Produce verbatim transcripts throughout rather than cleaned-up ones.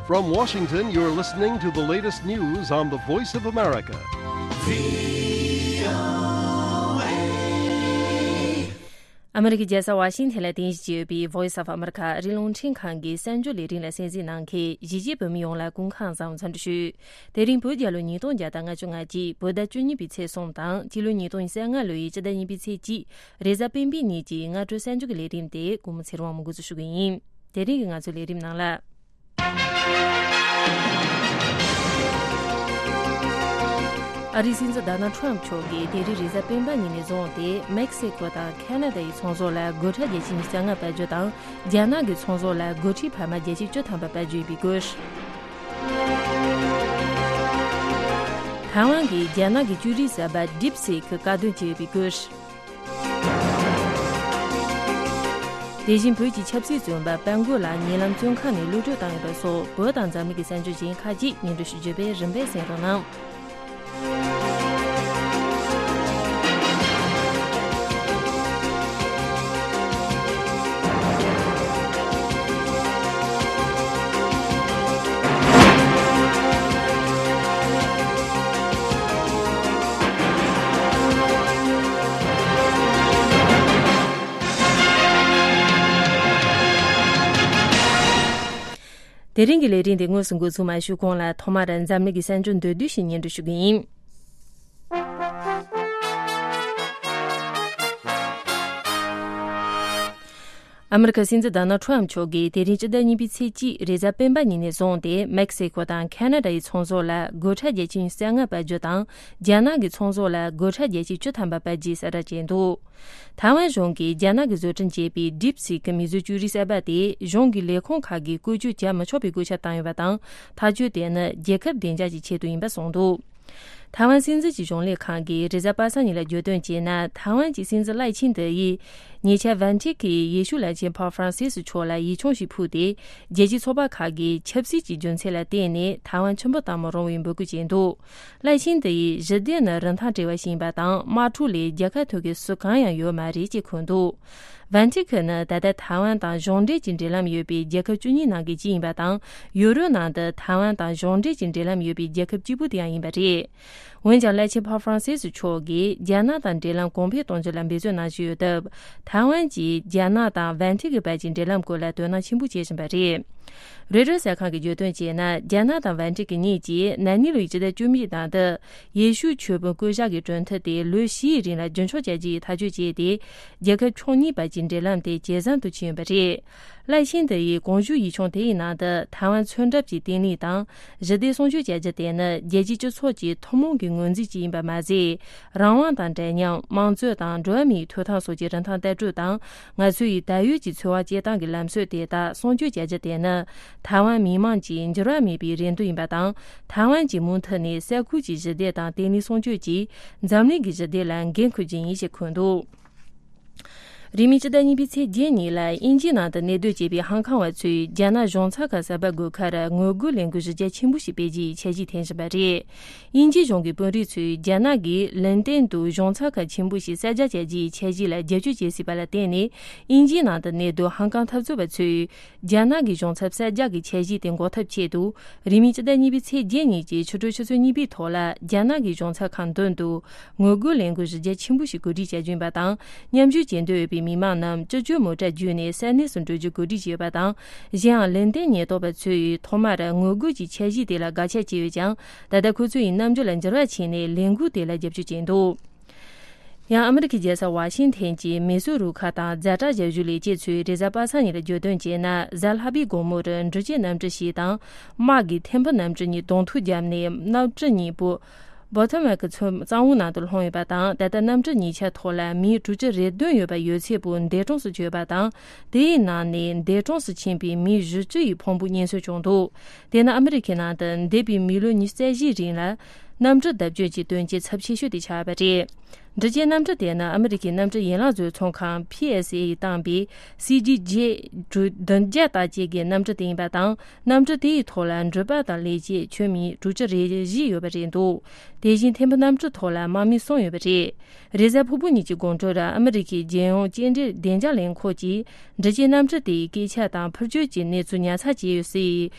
From Washington, you're listening to the latest news on the Voice of America. ཨ་མི་རི་ཀའི་རྒྱལ་ས་ཝ་ཤིང་ཐན་ལ་རྟེན་གཞི་བྱས་ཡོད་པའི་Voice of America ཨ་རིའི་རླུང་འཕྲིན་ཁང་གི་གསར་འགྱུར་ལས་རིམ་ལ་གསན་གཟིགས་གནང་མཁན་གཞིས་བྱེས་བོད་མི་ཡོངས་ལ་སྐུ་ཁམས་བཟང་པོ་འཚམས་འདྲི་ཞུ། དེ་རིང་བོད་རྒྱལ་ལོ་ཉིས་སྟོང་བརྒྱ་དང་ལྔ་བཅུ་ང་གཅིག་བོད་ཟླ་བཅུ་གཉིས་པའི་ཚེས་གསུམ་དང་སྤྱི་ལོ་ཉིས་སྟོང་ཉི་ཤུ་རྩ་ལྔ་ལོའི་སྤྱི་ཟླ་གཉིས་པའི་ཚེས་གཅིག་རེས་གཟའ་སྤེན་པའི་ཉིན་གྱི་སྔ་དྲོའི་གསར་འགྱུར་གྱི་ལས་རིམ་དེ་ཀུན་མོ་ཚེ་རིང་དབང་མོ་འགོ་འཛུགས་ཞུ་གི་ཡིན། དེ་རིང་གི་ང་ཚོའི་ལས་རིམ་ནང་ལ། ཨ་རིའི་སྲིད་འཛིན་ཌོ་ནལ་ཊམ་མཆོག་གིས་དེ་རིང་རེས་གཟའ་སྤེན་པ་ཉིན་ནས་བཟུང་སྟེ་མེག་སི་ཀོ་དང་ཁ་ན་ཌ་ཡི་ཚོང་ཟོག་ལ་སྒོ་ཁྲལ་བརྒྱ་ཆ་ཉི་ཤུ་རྩ་ལྔ་སྤར་རྒྱུ་དང་རྒྱ་ནག་གི་ཚོང་ཟོག་ལ་སྒོ་ཁྲལ་འཕར་མ་བརྒྱ་ཆ་བཅུ་ཐམ་པ་སྤར་རྒྱུ་ཡིན་པའི་སྐོར། ཐའེ་ཝན་གྱིས་རྒྱ་ནག་གི་ཅུ་རིག་གསར་པ་DeepSeek་བཀག་སྡོམ་བྱས་ཡོད་པའི་སྐོར། དེ་བཞིན་བོད་ཀྱི་ཆབ་སྲིད་བཙོན་པ་སྤྲུལ་སྐུ་ལགས་ཉེ་ལམ་བཙོན་ཁང་ནས་གློད་གྲོལ་བཏང་ཡོད་པ་སོགས་བོད་དང་འཛམ་གླིང་གི་གསར་འགྱུར་གཞན་ཁག་ཅིག་སྙན་སྒྲོན་ཞུ་རྒྱུ་བས་རིམ་པས་གསན་རོགས་གནང་། དེ་རིང་གི་ལས་རིམ་དེ་དངོས་སུ་འགོ་ཚུགས་མ་ཞུས་གོང་ལ་ཐོག་མར་འཛམ་གླིང་གི་གསར་འགྱུར་མདོར་བསྡུས་ཤིག་སྙན་སྒྲོན་ཞུ་གི་ཡིན། ཨ་མི་རི་ཀའི་སྲིད་འཛིན་ཌོ་ནལ་ཊམ་མཆོག་གིས་དེ་རིང་སྤྱི་ཟླ་གཉིས་པའི་ཚེས་གཅིག་རེས་གཟའ་སྤེན་པ་ཉིན་ནས་བཟུང་སྟེ་མེག་སི་ཀོ་དང་ཁ་ན་ཌ་ཡི་ཚོང་ཟོག་ལ་སྒོ་ཁྲལ་བརྒྱ་ཆ་ཉི་ཤུ་རྩ་ལྔ་སྤར་རྒྱུ་དང་རྒྱ་ནག་གི་ཚོང་ཟོག་ལ་སྒོ་ཁྲལ་བརྒྱ་ཆ་བཅུ་ཐམ་པ་སྤར་རྒྱུའི་གསལ་བསྒྲགས་བྱས་འདུག་ཐའེ་ཝན་གཞུང་གིས་རྒྱ་ནག་གིས་བཟོ་སྐྲུན་བྱས་པའི་DeepSeek་མིག་བཟོ་ཅུ་རིག་གསར་པ་དེ་གཞུང་གི་ལས་ཁུངས་ཁག་གིས་བཀོལ་སྤྱོད་བྱ་མི་ཆོག་པའི་བཀོད་ཁྱབ་བཏང་ཡོད་པ་དང་། ཐག་གཅོད་དེ་ནི་རྒྱལ་ཁབ་བདེ་འཇགས་ཀྱི་ཆེད་དུ་ཡིན་པ་གསུངས་འདུག་ཐའེ་ཝན་སྲིད་འཛིན་གྱི་གཞུང་ལས་ཁང་གིས་རེས་གཟའ་པ་སངས་ཉིན་ལ་བརྗོད་དོན་བྱས་ན། ཐའེ་ཝན་གྱི་སྲིད་འཛིན་ལའེ་ཆིང་ཏེ་ཡིས་ཉེ་ཆར་ཝན་ཊི་ཀའི་ཡེ་ཤུ་བླ་ཆེན་པོབ་ཧྥ་རན་སིས་མཆོག་ལ་ཡིག་ཆུང་ཞིག་ཕུལ་ཏེ། རྒྱལ་སྤྱིའི་ཚོགས་པ་ཁག་གིས་ཆབ་སྲིད་ཀྱི་རྒྱུ་མཚན་ལ་བརྟེན་ནས་ཐའེ་ཝན་ཆུ་འབུད་གཏོང་མི་རུང་བའི་འབོད་སྐུལ་བྱས་འདུག་ལའེ་ཆིང་ཏེ་ཡིས་ཞི་བདེ་ནི་རིན་ཐང་བྲལ་བ་ཞིག་ཡིན་པ་དང་། དམག་འཁྲུག་ལས་རྒྱལ་ཁ་ཐོབ་མཁན་སུ་གང་ཡང་ཡོད་མ་རེད་ཅེས་འཁོད་འདུག་ཝན་ཊི་ཀ་ནི་ད་ལྟ་ཐའེ་ཝན་དང་གཞུང་འབྲེལ་གྱི་འབྲེལ་ལམ་ཡོད་པའི་རྒྱལ་ཁབ་བཅུ་གཉིས་ནང་གི་གཅིག་ཡིན་པ་དང་། ཡོ་རོབ་ནང་དུ་ཐའེ་ཝན་དང་གཞུང་འབྲེལ་གྱི་འབྲེལ་ལམ་ཡོད་པའི་རྒྱལ་ཁབ་གཅིག་པུ་དེ་ཡང་ཡིན་པ་རེད། འོན་ཀྱང་། བླ་ཆེན་པོབ་ཧྥ་རན་སིས་མཆོག་གིས་རྒྱ་ནག་དང་འབྲེལ་ལམ་གོང་འཕེལ་གཏོང་རྒྱུ་ལ་འབད་བརྩོན་གནང་བཞིན་ཡོད་སྟབས། ཐའེ་ཝན་གྱིས་རྒྱ་ནག་དང་ཝན་ཊི་ཀའི་བར་གྱི་འབྲེལ་ལམ་སྐོར་ལ་དོ་སྣང་ཆེན་པོ་བྱེད་བཞིན་པ་རེད། རོའི་ཊར་གསར་ཁང་གིས་བརྗོད་དོན་བྱས་ན། རྒྱ་ནག་དང་ཝན་ཊི་ཀ་གཉིས་ཀྱིས་ན་ནིང་ལོའི་སྤྱི་ཟླ་བཅུ་གཉིས་ནང་དུ། ཡེ་ཤུ་ཆོས་དཔོན་བསྐོ་བཞག་གི་གྲོས་མཐུན་དེ་ལོ་བཞིའི་རིང་ལ་རྒྱུན་འཁྱོངས་བྱ་རྒྱུའི་ཐག་གཅོད་བྱས་ཏེ། རྒྱལ་ཁབ་ཕྱོགས་གཉིས་བར་གྱི་འབྲེལ་ལམ་དེ་ཇེ་བཟང་དུ་ཕྱིན་ཡོད་པ་རེད། ལའེ་ཆིང་ཏེ་ཡིས་གོང་ཞུས་ཡིག་ཆུང་དེའི་ནང་དུ། ཐའེ་ཝན་མཚོན་རྟགས་ཀྱི་བརྟན་ལྷིང་དང་། ཞི་བདེ་སྲུང་སྐྱོབ་བྱ་རྒྱུ་དེ་ནི་རྒྱལ་སྤྱིའི་སྤྱི་ཚོགས་ཀྱི་ཐུན་མོང་གི་ངོས་འཛིན་ཅིག་ཡིན་པ་མ་ཟད། རང་དབང་དང་འདྲ་མཉམ། དམངས་གཙོ་དང་འགྲོ་བ་མིའི་ཐོབ་ཐང་སོགས་ཀྱི་རིན་ཐང་ལྟ་གྲུབ་དང་། ང་ཚོའི་ད་ཡོད་ཀྱི་འཚོ་བ་སྐྱེལ་སྟངས་ཀྱི་ལམ་སྲོལ་དེ་དག་སྲུང་སྐྱོབ་བྱ་རྒྱུ་དེ་ནི། ཐའེ་ཝན་མི་དམངས་ཀྱི་འགྱུར་བ་མེད་པའི་རེ་འདུན་ཡིན་པ་དང་། ཐའེ་ཝན་གྱིས་མུ་མཐུད་ནས་ས་ཁུལ་གྱི་ཞི་བདེ་དང་བརྟན་ལྷིང་སྲུང་སྐྱོབ་ཀྱིས་འཛམ་གླིང་གི་ཞི་བདེ་ལ་འགན་འཁུར་རྒྱུ་ཡིན་ཞེས་འཁོད་འདུག་རིང་མིན་སྤྱི་ཟླ་གཉིས་པའི་ཚེས་བརྒྱད་ཉིན་ལ་དབྱིན་ཇིའི་ནང་དུ་གནས་སྡོད་བྱེད་པའི་ཧང་ཀང་བ་ཚོས་རྒྱ་ནག་གཞུང་ཚབ་ཁང་གསར་པ་དགོས་ཁར་ངོ་རྒོལ་ལས་འགུལ་གཞི་རྒྱ་ཆེན་པོ་ཞིག་སྤེལ་རྒྱུའི་འཆར་གཞི་འཐེན་བཞིན་པ་རེད། དབྱིན་ཇིའི་གཞུང་གི་དཔོན་རིགས་ཚོས་རྒྱ་ནག་གིས་ལན་ཏན་དུ་གཞུང་ཚབ་ཁང་ཆེན་པོ་ཞིག་གསར་རྒྱག་བྱ་རྒྱུའི་འཆར་གཞི་ལ་རྒྱབ་སྐྱོར་བྱེད་སྲིད་པ་ལ་བརྟེན་ནས། དབྱིན་ཇིའི་ནང་དུ་གནས་སྡོད་ཧང་ཀང་འཐབ་རྩོད་པ་ཚོས། རྒྱ་ནག་གི་གཞུང་ཚབ་གསར་རྒྱག་གི་འཆར་གཞི་དེ་འགོག་ཐབས་ཆེད་དུ། རིང་མིན་སྤྱི་ཟླ་གཉིས་པའི་ཚེས་བརྒྱད་ཉིན་གྱི་ཕྱི་དྲོ་ཆུ་ཚོད་གཉིས་པའི་ཐོག་ལ། རྒྱ་ནག་གི་གཞུང་ཚབ་ཁང་མདུན་དུ། ངོ་རྒོལ་ལས་འགུལ་གཞི་རྒྱ་ཆེན་པོ་ཞིག་གོ་སྒྲིག་བྱ་རྒྱུ་ཡིན་པ་དང་། མཉམ་ཞུགས་བྱེད་འདོད་ཡོད་པའི་མི་མང་རྣམས་སྤྱི་སྤྱོད་མོ་ཊ་བརྒྱུད་ནས་ས་གནས་སུ་འགྲོ་རྒྱུ་གོ་སྒྲིག་བྱས་ཡོད་པ་དང་། གཞན་ཡང་། ལན་ཏན་ཉེན་རྟོག་པ་ཚོས་ཐོག་མར་ངོ་རྒོལ་གྱི་འཆར་གཞི་དེ་ལ་དགག་བྱ་བྱས་ཡོད་ཀྱང་། ད་ལྟ་ཁོ་ཚོ་ཡི་རྣམ་འགྱུར་ལ་འགྱུར་བ་ཕྱིན་ནས། ལས་འགུལ་དེ་ལ་རྒྱབ་སྐྱོར་བྱས་འདུག་ཡང་ཨ་མི་རི་ཀའི་རྒྱལ་ས་ཝ་ཤིང་ཐན་གྱི་མེ་སོར་རུ་ཁག་དང་ཛ་དྲག་ཞབས་ཞུ་ལས་བྱེད་ཚོས་རེས་གཟའ་པ་སངས་ཉིན་ལ་བརྗོད་དོན་བྱས་ན། གཟའ་ལྷག་པའི་དགོང་མོར་འབྲུག་ཆས་གནམ་གྲུ་ཞིག་དང་། དམག་གི་ཐེམ་ཕུ་གནམ་གྲུ་གཉིས་གདོང་ཐུག་བརྒྱབ་ནས། གནམ་གྲུ་གཉིས་པོ་བོ་ཐོ་མེག་གཙང་བོའི་ནང་དུ་ལྷུང་ཡོད་པ་དང་། ད་ལྟ་གནམ་གྲུ་གཉིས་ཆ་ཐོག་ལ་མི་དྲུག་ཅུ་རེ་བདུན་ཡོད་པ་ཡོད་ཚད་པོ་འདས་གྲོངས་སུ་གྱུར་ཡོད་པ་དང་། དེའི་ནང་ནས་འདས་གྲོངས་སུ་ཕྱིན་པའི་མི་བཞི་བཅུ་ཡི་ཕུང་པོ་རྙེད་སོན་བྱུང་འདུག་དེ་ནི་ཨ་མི་རི་ཁའི་ནང་དུ་འདས་པའི་མི་ལོ་ཉི་ཤུ་རྩ་བཞིའི་རིང་ལ། གནམ་གྲུ་བརྡབ་སྐྱོན་གྱི་དོན་རྐྱེན་ཚབས་ཆེ་ཤོས་དེ་ཆགས་པ་རེད། འབྲི་བྱའི་གནམ་གྲུ་དེ་ནི་ཨ་མི་རི་ཀའི་གནམ་གྲུ་ཡན་ལག་བཟོ་ཚོང་ཁང་P S A ཡིས་བཏང་པའི་C G J བདུན་བརྒྱ་དང་གཅིག་གི་གནམ་གྲུ་དེ་ཡིན་པ་དང་། གནམ་གྲུ་དེ་ཡི་ཐོག་ལ་འགྲུལ་པ་དང་ལས་བྱེད་ཁྱོན་མི་དྲུག་ཅུ་རེ་བཞི་ཡོད་པ་རེད་འདུག་དེ་བཞིན་ཐེམ་བུ་གནམ་གྲུ་ཐོག་ལ་དམག་མི་གསུམ་ཡོད་པ་རེད། རེས་གཟའ་ཕུར་བུ་ཉིན་གྱི་དགོང་དྲོར་ཨ་མི་རི་ཀའི་རྒྱལ་ཡོངས་སྐྱེལ་འདྲེན་བདེ་འཇགས་ལས་ཁུངས་ཀྱིས་འབྲི་བྱའི་གནམ་གྲུ་དེའི་སྐད་ཆ་དང་འཕུར་སྐྱོད་ཀྱི་གནས་ཚུལ་ཉར་ཚགས་བྱས་ཡོད་སའི་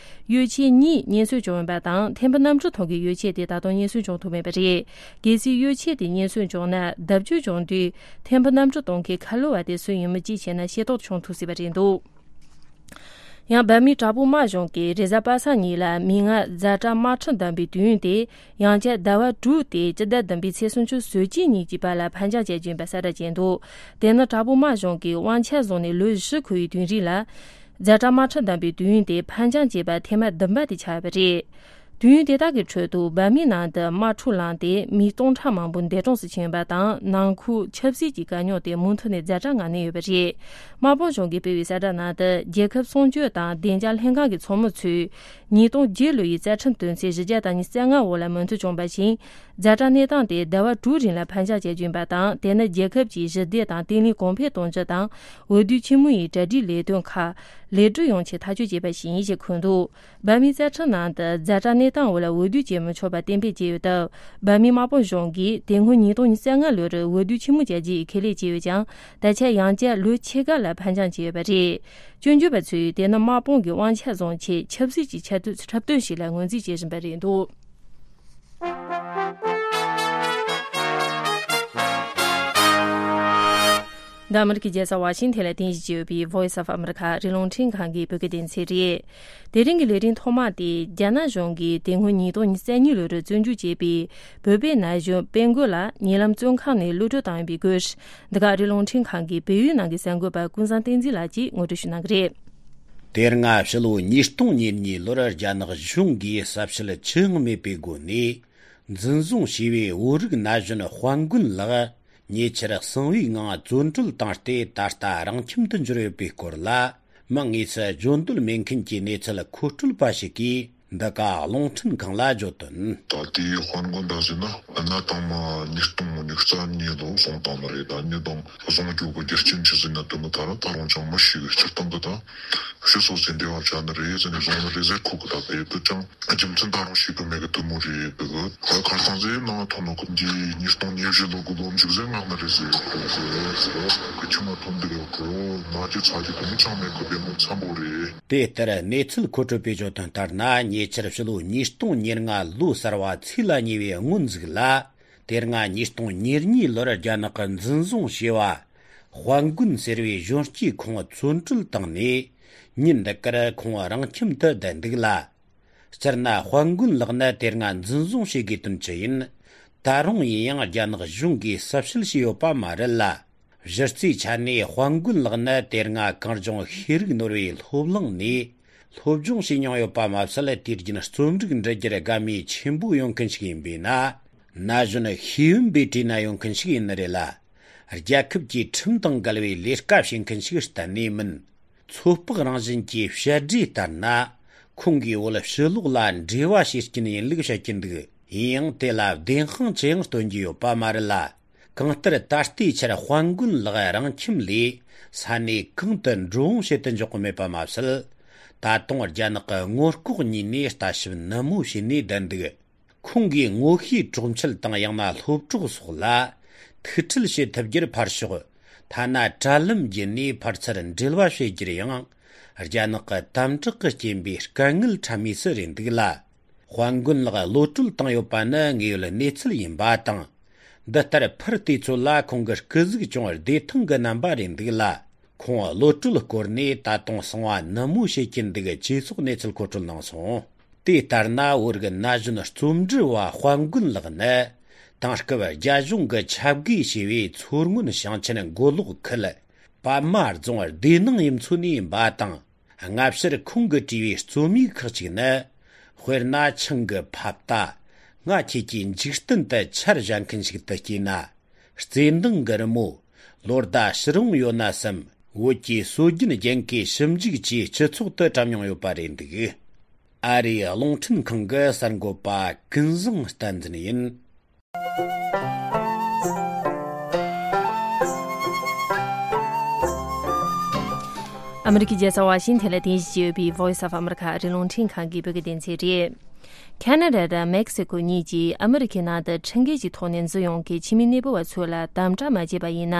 གཡོ་ཇུས་གཉིས་རྙེད་སོན་བྱུང་ཡོད་པ་དང་། ཐེམ་བུ་གནམ་གྲུ་ཐོག་གི་གཡོ་ཇུས་དེ་ད་དུང་རྙེད་སོན་བྱུང་ཐུབ་མེད་པ་རེད། གལ་སྲིད་གཡོ་ཇུས་དེ་རྙེད་སོན་བྱུང་ན། བརྡབ་གཅོད་བྱུང་དུས་ཐེམ་བུ་གནམ་གྲུ་གཏོང་མཁན་ཁ་ལོ་བ་དེ་སུ་ཡིན་མིན་གཅིག་བྱས་ན་ཤེས་རྟོགས་བྱུང་ཐུབ་སྲིད་པ་རེད་འདུག་ཡང་བལ་མིའི་དྲག་པོའི་དམག་གཞུང་གིས་རེས་གཟའ་པ་སངས་ཉིན་ལ་མིག་སྔར་ཛ་དྲག་དམག་འཁྲུག་འདམ་པའི་དུས་ཡུན་དེ་ཡང་བསྐྱར་ཟླ་བ་དྲུག་སྟེ། སྤྱི་ཟླ་བདུན་པའི་ཚེས་སུམ་ཅུ་སོ་གཅིག་ཉིན་གྱི་བར་ལ་ཕར་འགྱངས་བྱ་རྒྱུ་ཡིན་པ་གསལ་བསྒྲགས་བྱས་འདུག་དེ་ནི་དྲག་པོའི་དམག་གཞུང་གིས་དབང་ཆ་བཟུང་ནས་ལོ་བཞི་འཁོར་བའི་དུས་རིང་ལ། ཛ་དྲག་དམག་འཁྲུག་འདམ་པའི་དུས་ཡུན་དེ་ཕར་འགྱངས་བྱས་པ་ཐེངས་མ་བདུན་པ་དེ་ཆགས་ཡོད་པ་རེད། དུས་ཡུན་དེ་དག་གི་ཁྲོད་དུ་བལ་མིའི་ནང་དུ་དམག་འཁྲུག་ལངས་ཏེ་མི་སྟོང་ཕྲག་མང་པོ་འདས་གྲོངས་སུ་ཕྱིན་ཡོད་པ་དང་། ནང་ཁུལ་ཆབ་སྲིད་ཀྱི་དཀའ་རྙོག་དེ་མུ་མཐུད་ནས་ཛ་དྲག་ངང་གནས་ཡོད་པ་རེད། དམག་དཔུང་གཞུང་གིས་སྤེལ་བའི་གསལ་བསྒྲགས་ནང་དུ། རྒྱལ་ཁབ་གསུམ་བཅུ་དང་བདེ་འཇགས་ལྷན་ཁང་གི་ཚོགས་མི་ཚོས་ཉིས་སྟོང་བརྒྱད་ལོ་ཡི་རྩ་ཁྲིམས་དོན་ཚན་བཞི་བརྒྱ་དང་ཉེར་ལྔ་འོག་ལ་མོས་མཐུན་བྱུང་བ་བཞིན། ཛ་དྲག་གནས་སྟངས་དེ་ཟླ་བ་དྲུག་རིང་ལ་ཕར་འགྱངས་བྱ་རྒྱུ་ཡིན་པ་དང་། དེ་ནི་རྒྱལ་ཁབ་ཀྱི་ཞི་བདེ་དང་བརྟན་ལྷིང་གོང་འཕེལ་གཏོང་རྒྱུ་དང་། འོས་བསྡུ་ཆེན་མོ་ཡི་གྲ་སྒྲིག་ལས་དོན་ཁག་ལེགས་གྲུབ་ཡོང་ཆེད་ཐག་གཅོད་བྱས་པ་ཞིག་ཡིན་ཞེས་འཁོད་འདུག་བལ་མིའི་རྩ་ཁྲིམས་ནང་དུ་ཛ་དྲག་གནས་སྟངས་འོག་ལ་འོས་བསྡུ་བྱེད་མི་ཆོག་པ་གཏན་འབེབས་བྱས་ཡོད་སྟབས། བལ་མིའི་དམག་དཔུང་གཞུང་གིས་དེ་སྔོན་ཉིས་སྟོང་ཉེར་ལྔ་ལོར་འོས་བསྡུ་ཆེན་མོ་བྱ་རྒྱུའི་ཁས་ལེན་བྱས་ཡོད་ཀྱང་། ད་ཆ་ཡང་བསྐྱར་ལོ་ཕྱེད་ཀ་ལ་ཕར་འགྱངས་བྱས་ཡོད་པ་རེད། སྐྱོན་བརྗོད་པ་ཚོས་དེ་ནི་དམག་དཔུང་གི་དབང་ཆ་བཟུང་ཆེད་ཆབ་སྲིད་ཀྱི་འཆར་གཏོད་འཁྲབ་སྟོན་ཞིག་ལ་ངོས་འཛིན་བྱེད་བཞིན་པ་རེད་འདུག་འདི་ཨ་མི་རི་ཀའི་རྒྱལ་ས་ཝ་ཤིང་ཐན་ལ་རྟེན་གཞི་བྱས་ཡོད་པའི་Voice of America རི་ཀླུང་འཕྲིན་ཁང་གི་བོད་སྐད་སྡེ་ཚན་རེད། དེ་རིང་གི་ལས་རིམ་ཐོག་མ་དེ། རྒྱ་ནག་གཞུང་གིས་དེ་སྔོན་ཉིས་སྟོང་ཉེར་གཉིས་ལོར་བཙོན་འཇུག་བྱས་པའི་བོད་པའི་ན་གཞོན་དཔལ་མགོན་ལགས་ཉེ་ལམ་བཙོན་ཁང་ནས་གློད་གྲོལ་བཏང་ཡོད་པའི་སྐོར། འདི་ག་རི་ཀླུང་འཕྲིན་ཁང་གི་བལ་ཡུལ་ནང་གི་གསར་འགོད་པ་ཀུན་བཟང་བསྟན་འཛིན་ལགས་ཀྱིས་ངོ་སྤྲོད་ཞུ་གནང་གི་རེད། དེ་སྔ་ཕྱི་ལོ་ཉིས་སྟོང་ཉེར་གཉིས་ལོར་རྒྱ་ནག་གཞུང་གིས་གསལ་བཤད་ཅི་ཡང་མེད་པའི་སྒོ་ནས། འཛིན་བཟུང་བྱས་པའི་བོད་རིགས་ན་གཞོན་དཔལ་མགོན་ལགས་ཉེ་ཆར་གསང་བའི་ངང་བཙོན་གྲོལ་བཏང་སྟེ། ད་ལྟ་རང་ཁྱིམ་དུ་འབྱོར་ཡོད་པའི་སྐོར་ལ། མིང་དངོས་སུ་བརྗོད་འདོད་མེད་མཁན་གྱི་གནས་ཚུལ་མཁོ་སྤྲོད་པ་ཞིག་གིས་འདི་ག་རླུང་འཕྲིན་ཁང་ལ་བརྗོད་དོན། ད་ལྟའི་དཔལ་མགོན་ཟེར་ན་གནའ་དང་མ་ཉིས་སྟོང་ཉེར་གཉིས་ལོ་བཟུང་བཏང་ནི་རེད། ད་ཉིས་སྟོང་བཟུང་རྒྱུ་གི་རྒྱུ་རྐྱེན་ཆི་ཟིག་ན་དེ་མོ་ད་ར་ད་རུང་ཅང་མི་ཤེས་གི། སྤྱིར་བཏང་གི་ད་ཕྱི་སོ་སོའི་འབྲེལ་བ་བྱ་ནི་རེད་ཟེར་ནས་བཟུང་ནི་རེད་ཟེར། ཁོ་གི་ད་དེ་དུ་ཅང་རྒྱུ་མཚན་ད་རུང་ཤེས་གི་མེད་གི། དེ་མོ་རེད་འདུག་གི། ཁ་སང་ཟེར་ནང་ཐོན་ནོ་གི་འདི་ཉིས་སྟོང་ཉེར་བཞི་ལོ་གི་ལོ་མཇུག་ཟེར་ངག་ནི་རེད་ཟེར། ཁོ་ཟེར་ཟེར་གི་ཁྱི་མ་ཐོན་འདི་རེད། ཁོ་ན་རྒྱུ་ཚ་རྒྱུ་དེ་མོ་ཅང་མེད་གི། དེ་མོ་འཚམ་པོ་རེད། དེ་ལྟར་གནས་ཚུལ་མཁོ་སྤྲོད་པས་བརྗོད་དོན་ལྟར་ན། ཉེ་ཆར་ཕྱི་ལོ་ཉིས་སྟོང་ཉེར་ལྔ་ལོ་གསར་བ་ཚེས་ལ་ཉེ་བའི་སྔོན་ཟིག་ལ། དེ་སྔ་ཉིས་སྟོང་ཉེར་གཉིས་ལོར་རྒྱ་ནག་གིས་འཛིན་བཟུང་བྱས་པ། དཔལ་མགོན་ཟེར་བའི་གཞོན་སྐྱེས་ཁོང་བཙོན་གྲོལ་བཏང་ནས། ཉིན་འདི་གར་ཁོང་རང་ཁྱིམ་དུ་བསྡད་འདུག་ལ། སྤྱིར་ན་དཔལ་མགོན་ལགས་ནི་དེ་སྔ་འཛིན་བཟུང་བྱེད་དགོས་དོན་ཅི་ཡིན། ད་རུང་ཡིན་ཡང་རྒྱ་ནག་གཞུང་གིས་གསལ་བཤད་བྱས་ཡོད་པ་མ་རེད་ལ། གཞི་རྩའི་ཆ་ནས་དཔལ་མགོན་ལགས་ནི་དེ་སྔ་གངས་ལྗོངས་ཤེས་རིག་ནོར་བུའི་སློབ་གླིང་ནས་སློབ་སྦྱོང་བྱས་མྱོང་ཡོད་པ་མ་ཟད། དུས་རྒྱུན་རྩོམ་རིག་འབྲི་རྒྱུར་དགའ་མོས་ཆེན་པོ་ཡོད་མཁན་ཞིག་ཡིན་པས་ན། ན་གཞོན་ཤེས་ཡོན་པའི་གྲས་ན་ཡོད་མཁན་ཞིག་ཡིན་ནི་རེད་ལ། རྒྱལ་ཁབ་ཀྱི་ཁྲིམས་དང་འགལ་བའི་ལས་ཀ་བྱེད་མཁན་ཞིག་གཏན་ནས་མིན། ཚོད་དཔག་རང་བཞིན་གྱི་བཤད་སྒྲོས་ལྟར་ན། ཁོང་གིས་བོད་ཕྱི་ལོགས་ལ་འབྲེལ་བ་བྱེད་རྐྱེན་ཡིན་ལུགས་བཤད་ཀྱིན་འདུག་ཡིན་ཡང་དེ་ལ་བདེན་དཔང་ཅི་ཡང་སྟོན་རྒྱུ་ཡོད་པ་མ་རེད་ལ། གང་ལྟར་ད་ལྟའི་ཆར་དཔལ་མགོན་ལགས་རང་ཁྱིམ་ལས་ས་གནས་གང་དུ་འགྲོ་འོང་བྱེད་དུ་འཇུག་གི་མེད་པ་མ་ཟད། ད་དུང་རྒྱ་ནག་གི་ངོ་ལྐོག་གཉིས་ནས་ལྟ་ཞིབ་ནན་མོ་བྱས་ནས་བསྡད་འདུག་ཁོང་གིས་ངོ་ཤེས་གྲོགས་མཆེད་དང་ཡང་ན་སློབ་གྲོགས་སོགས་ལ་ཐུག་འཕྲད་བྱེད་ཐུབ་རྒྱུར་ཕར་ཞོག་ཐ་ན་དྲ་ལམ་བརྒྱུད་ནས་ཕར་ཚུར་འབྲེལ་བ་བྱེད་རྒྱུར་ཡང་རྒྱ་ནག་གི་དམ་དྲག་གི་རྐྱེན་པས་དཀའ་ངལ་འཕྲད་མུས་སུ་རེད་འདུག་ལ། དཔལ་མགོན་ལགས་གློད་གྲོལ་བཏང་ཡོད་པ་ནི་དངོས་ཡོད་གནས་ཚུལ་ཡིན་པ་དང་། འདི་ལྟར་ཕུར་བལྟས་ཚོད་ལ་ཁོང་གི་སྐུ་གཟུགས་ཅུང་བདེ་ཐང་གི་རྣམ་པ་རེད་འདུག་ལ། ཁོང་གློད་གྲོལ་སྐོར་ནས་ད་དུང་གསང་བ་ནན་མོ་བྱེད་ཀྱིན་འདུག་ཅེས་སོགས་གནས་ཚུལ་མཁོ་སྤྲོད་གནང་སོང་། དེ་ལྟར་ན་བོད་ཀྱི་ན་གཞོན་རྩོམ་འབྲི་བ་དཔལ་མགོན་ལགས་ནི་དེང་སྐབས་རྒྱ་གཞུང་གིས་ཁྱབ་བགོས་བྱས་པའི་མཚོ་སྔོན་ཞིང་ཆེན་མགོ་ལོག་ཁུལ་པདྨ་རྫོང་སྡེ་ནང་ཡུལ་ཚོ་ནས་ཡིན་པ་དང་། སྔ་ཕྱིར་ཁོང་གིས་བྲིས་པའི་རྩོམ་ཡིག་ཁག་ཅིག་ནི། དཔེར་ན་ཆང་གི་ཕབ་རྟ། ང་ཁྱེད་ཀྱི་འཇིག་རྟེན་དུ་ཆར་བཞག་མཁན་ཞིག་ཏུ་སྐྱེས་ན། རྩེ་འདང་གི་རི་མོ། ལོ་ཟླ་ཕྱིར་འོང་ཡོད་ན་བསམ། བོད་ཀྱི་སྲོལ་རྒྱུན་རྒྱན་གོས་ཞིབ་འཇུག་བཅས་སྤྱི་ཚོགས་དུ་བཀྲམ་མྱོང་ཡོད་པ་རེད་འདུག་ཨ་རིའི་རླུང་འཕྲིན་ཁང་གི་གསར་འགོད་པ་ཀུན་བཟང་བསྟན་འཛིན་ཡིན། ཨ་མི་རི་ཀའི་རྒྱལ་ས་ཝ་ཤིང་ཐན་ལ་རྟེན་གཞི་བྱས་ཡོད་པའི་Voice of America ཨ་རིའི་རླུང་འཕྲིན་ཁང་གི་བོད་སྐད་སྡེ་ཚན་རེད། ཁ་ན་ཌ་དང་མེག་སི་ཀོ་གཉིས་ཀྱིས་ཨ་མི་རི་ཀའི་ནང་དུ་ཁྲིམས་འགལ་གྱི་ཐོག་ནས་འཛུལ་ཡོང་མཁན་ཕྱི་མི་གནས་སྤོ་བ་ཚོ་ལ་དམ་དྲག་མ་བྱས་པ་ཡིན་ན།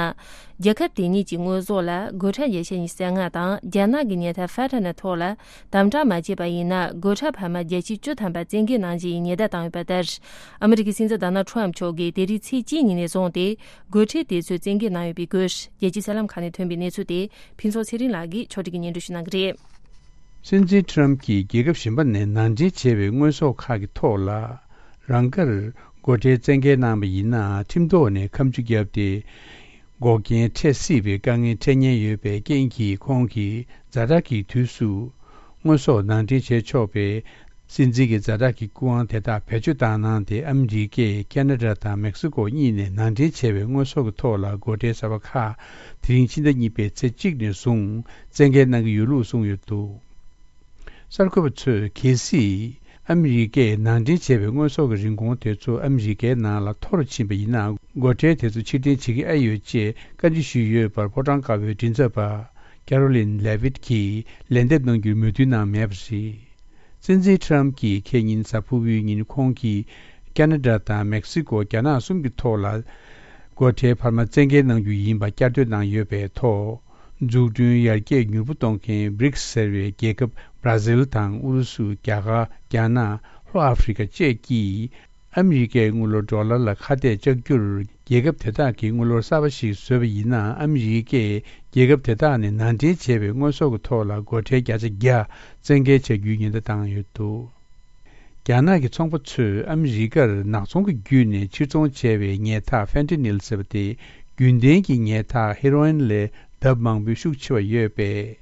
རྒྱལ་ཁབ་དེ་གཉིས་ཀྱི་དངོས་ཟོག་ལ་སྒོ་ཁྲལ་བརྒྱ་ཆ་ཉི་ཤུ་རྩ་ལྔ་དང་རྒྱ་ནག་གི་ཉལ་ཐ་ཧྥ་ཊ་ནི་ཐོག་ལ་དམ་དྲག་མ་བྱས་པ་ཡིན་ན། སྒོ་ཁྲལ་འཕར་མ་བརྒྱ་ཆ་བཅུ་ཐམ་པ་བཙན་འགེལ་གནང་རྒྱུ་ཡི་ཉེན་བརྡ་བཏང་ཡོད་པ་ལྟར། ཨ་མི་རི་ཀའི་སྲིད་འཛིན་ཌོ་ནལ་ཊམ་མཆོག་གིས་དེ་རིང་ཚེས་གཅིག་ཉིན་ནས་བཟུང་སྟེ། སྒོ་ཁྲལ་དེ་ཚོ་བཙན་འགེལ་གནང་ཡོད་པའི་སྐོར། རྒྱལ་སྤྱིའི་གསར་ལམ་ཁག་ནས་ཐོན་པའི་གནས་ཚུལ་དེ་ཕུན་ཚོགས་ཚེ་རིང་ལགས་ཀྱིས་ཕྱོགས་སྒྲིག་གིས་སྙན་སྒྲོན་ཞུ་གནང་གི་རེད། སྲིད་འཛིན་ཊམ་གྱིས་རྒྱལ་ཁབ་གཞན་པ་ནས་ནང་འདྲེན་བྱས་པའི་དངོས་ཟོག་ཁག་གི་ཐོག་ལ། རང་དགར་སྒོ་ཁྲལ་བཙན་འགེལ་གནང་བ་ཡིན་ན། ཁྲིམས་ཐོག་ནས་ཁ་མཆུ་བརྒྱབ་སྟེ། འགོག་རྐྱེན་འཕྲད་སྲིད་པའི་དཀའ་ངལ་འཕྲད་ཉེན་ཡོད་པའི་རྐྱེན་གྱིས། ཁོང་གིས་ཛ་དྲག་གི་དུས་སུ་དངོས་ཟོག་ནང་འདྲེན་བྱེད་ཆོག་པའི་སྲིད་འཛིན་གྱི་ཛ་དྲག་གི་སྐུ་དབང་དེ་དག་བེད་སྤྱོད་བཏང་གནང་སྟེ། ཨ་མི་རི་ཀས་ཁ་ན་ཌ་དང་མེག་སི་ཀོ་གཉིས་ནས་ནང་འདྲེན་བྱས་པའི་དངོས་ཟོག་གི་ཐོག་ལ་སྒོ་ཁྲལ་གསར་པ་ཁག་དེ་རིང་ཕྱི་ཟླ་གཉིས་པའི་ཚེས་གཅིག་ནས་བཟུང་བཙན་འགེལ་གནང་གི་ཡོད་ལུགས་གསུངས་ཡོད་འདུག། གསར་འགོད་པ་ཚོས་གལ་སྲིད་ཨ་མི་རི་ཀས་ནང་འདྲེན་བྱས་པའི་དངོས་ཟོག་གི་རིན་གོང་དེ་ཚོ་ཨ་མི་རི་ཀའི་ནང་ལ་མཐོ་རུ་ཕྱིན་པ་ཡིན་ན། སྒོ་ཁྲལ་དེ་ཚོ་ཕྱིར་འཐེན་བྱེད་ཀྱི་ཨེ་ཡོད་ཅེས་བཀའ་འདྲི་ཞུས་ཡོད་པར། ཕོ་བྲང་དཀར་པོའི་མགྲིན་ཚབ་པ་ཀེ་རོ་ལིན་ལེ་ཝིད་ཀྱིས་ལན་འདེབས་གནང་རྒྱུར་མོས་མཐུན་གནང་མེད་པ་རེད། སྲིད་འཛིན་ཊམ་གྱིས་ཁེ་ཉིན་གཟའ་ཕུར་བུའི་ཉིན་ཁོང་གིས་ཁ་ན་ཌ་དང་མེག་སི་ཀོ། རྒྱ་ནག་གསུམ་གྱི་ཐོག་ལ་སྒོ་ཁྲལ་འཕར་མ་བཙན་འགེལ་གནང་རྒྱུ་ཡིན་པ་བསྐྱར་ཟློས་གནང་ཡོད་པའི་ཐོག། འཛུགས་སྐྲུན་ཡར་རྒྱས་མྱུར་པོ་གཏོང་མཁན་བྷི་རིགས་ཟེར་བའི་རྒྱལ་ཁབ་བྷ་ར་ཟིལ་དང་ཨུ་རུ་སུ། རྒྱ་གར། རྒྱ་ནག་ལྷོ་ཨ་ཧྥེ་རི་ཁ་བཅས་ཀྱིས་ཨ་མི་རི་ཀའི་དངུལ་ལོར་ཌོ་ལར་ལ་ཁ་གཏད་བཅག་རྒྱུར། རྒྱལ་ཁབ་དེ་དག་གིས་དངུལ་ལོར་གསར་པ་ཞིག་བཟོས་པ་ཡིན་ན། ཨ་མི་རི་ཀས་རྒྱལ་ཁབ་དེ་དག་ནས་ནང་འདྲེན་བྱས་པའི་དངོས་ཟོག་གི་ཐོག་ལ་སྒོ་ཁྲལ་བརྒྱ་ཆ་བརྒྱ་བཙན་འགེལ་བྱ་རྒྱུའི་ཉེན་བརྡ་བཏང་ཡོད་འདུག། རྒྱ་ནག་གི་ཚོང་པ་ཚོས་ཨ་མི་རི་ཀར་ནག་ཚོང་གི་བརྒྱུད་ནས་ཕྱིར་ཚོང་བྱས་པའི་ཉལ་ཐ་ཧྥེན་ཏི་ནིལ་ཟེར་བ་དེ། རྒྱུན་ལྡན་གྱི་ཉལ་ཐ་ཧེ་རོ་ཨིན་ལས་ལྡབ་མང་པོའི་ཤུགས་ཆེ་བ་ཡོད་པས།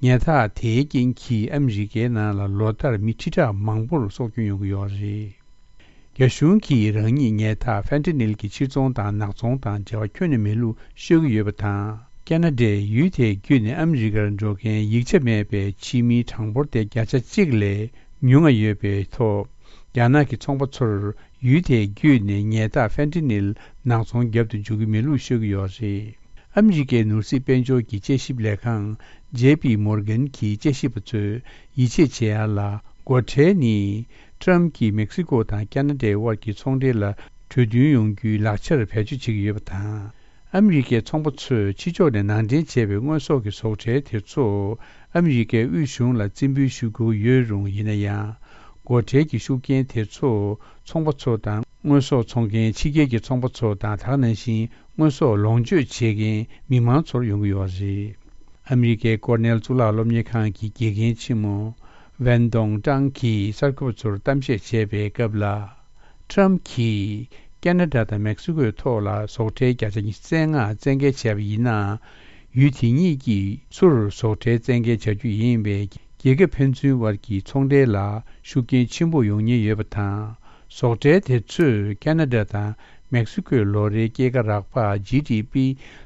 ཉལ་ཐ་དེའི་རྐྱེན་གྱིས་ཨ་མི་རི་ཀའི་ནང་ལ་ལོ་ལྟར་མི་ཁྲི་ཕྲག་མང་པོར་སྲོག་སྐྱོན་ཡོང་གི་ཡོད་རེད། རྒྱ་གཞུང་གིས་རང་ཉིད་ཉལ་ཐ་ཧྥེན་ཏི་ནིལ་གྱི་ཕྱིར་ཚོང་དང་ནག་ཚོང་དང་འབྲེལ་བ་ཁྱོན་ནས་མེད་ལུགས་ཤོད་ཀྱི་ཡོད་པ་དང་། ཁ་ན་ཌས་ཡུལ་དེའི་བརྒྱུད་ནས་ཨ་མི་རི་ཀར་འགྲོ་མཁན་ཡིག་ཆ་མེད་པའི་ཕྱི་མིའི་གྲངས་འབོར་དེ་བརྒྱ་ཆ་གཅིག་ལས་ཉུང་ང་ཡོད་པའི་ཐོག། རྒྱ་ནག་གི་ཚོང་པ་ཚོར་ཡུལ་དེའི་བརྒྱུད་ནས་ཉལ་ཐ་ཧྥེན་ཏི་ནིལ་ནག་ཚོང་བརྒྱབ་ཏུ་འཇུག་གི་མེད་ལུགས་ཤོད་ཀྱི་ཡོད་རེད། ཨ་མི་རི་ཀའི་ནོར་སྲིད་དཔལ་འབྱོར་གྱི་དཔྱད་ཞིབ་ལས་ཁང་ཇེ་པི་མོར་གན་གྱི་དཔྱད་ཞིབ་པ་ཚོས་ཡིད་ཆེས་བྱེད་ཡ་ལ། སྒོ་ཁྲལ་ནི་ཊམ་གྱིས་མེག་སི་ཀོ་དང་ཁ་ན་ཌའི་དབར་གྱི་ཚོང་འབྲེལ་ལ་གྲོས་མཐུན་ཡོང་རྒྱུའི་ལག་ཆར་བེད་སྤྱོད་བྱེད་ཀྱི་ཡོད་པ་དང་། ཨ་མི་རི་ཀའི་ཚོང་པ་ཚོས་ཕྱི་ཕྱོགས་ནས་ནང་འདྲེན་བྱས་པའི་དངོས་ཟོག་གི་ཟོག་ཁྲལ་དེ་ཚོ་ཨ་མི་རི་ཀའི་དབུས་གཞུང་ལ་རྩིས་འབུལ་ཞུ་དགོས་ཡོད་རུང་། ཡིན་ན་ཡང་། སྒོ་ཁྲལ་གྱི་ཤུགས་རྐྱེན་དེ་ཚོ་ཚོང་པ་ཚོ་དང་། དངོས་ཟོག་འཚོང་མཁན་ཕྱི་རྒྱལ་གྱི་ཚོང་པ་ཚོ་དང་། ད་ག་ནང་བཞིན་དངོས་ཟོག་ལོངས་སྤྱོད་བྱེད་མཁན་མི་མང་ཚོར་ཡོང་གི་ཡོད་རེད། ཨ་མི་རི་ཀའི་ཀོར་ནེལ་གཙུག་ལག་སློབ་གཉེར་ཁང་གི་དགེ་རྒན་ཆེན་མོ་ཝན་ཏོང་ཀྲང་གིས་གསར་འགོད་པ་ཚོར་གཏམ་བཤད་བྱས་པའི་སྐབས་ལ། ཊམ་གྱིས་ཁ་ན་ཌ་དང་མེག་སི་ཀོའི་ཐོག་ལ་ཟོག་ཁྲལ་བརྒྱ་ཆ་ཉི་ཤུ་རྩ་ལྔ་བཙན་འགེལ་བྱས་པ་ཡིན་ན། ཡུལ་དེ་གཉིས་ཀྱིས་ཚུར་ཟོག་ཁྲལ་བཙན་འགེལ་བྱ་རྒྱུ་ཡིན་པས། རྒྱལ་ཁབ་ཕན་ཚུན་དབར་གྱི་ཚོང་འབྲེལ་ལ་ཤུགས་རྐྱེན་ཆེན་པོ་ཡོང་ཉེན་ཡོད་པ་དང་། ཟོག་ཁྲལ་དེ་ཚོས་ཁ་ན་ཌ་དང་མེག་སི་ཀོའི་ལོ་རེའི་སྐྱེད་ཀ་རག་པ། ཇི་ཌི་པི་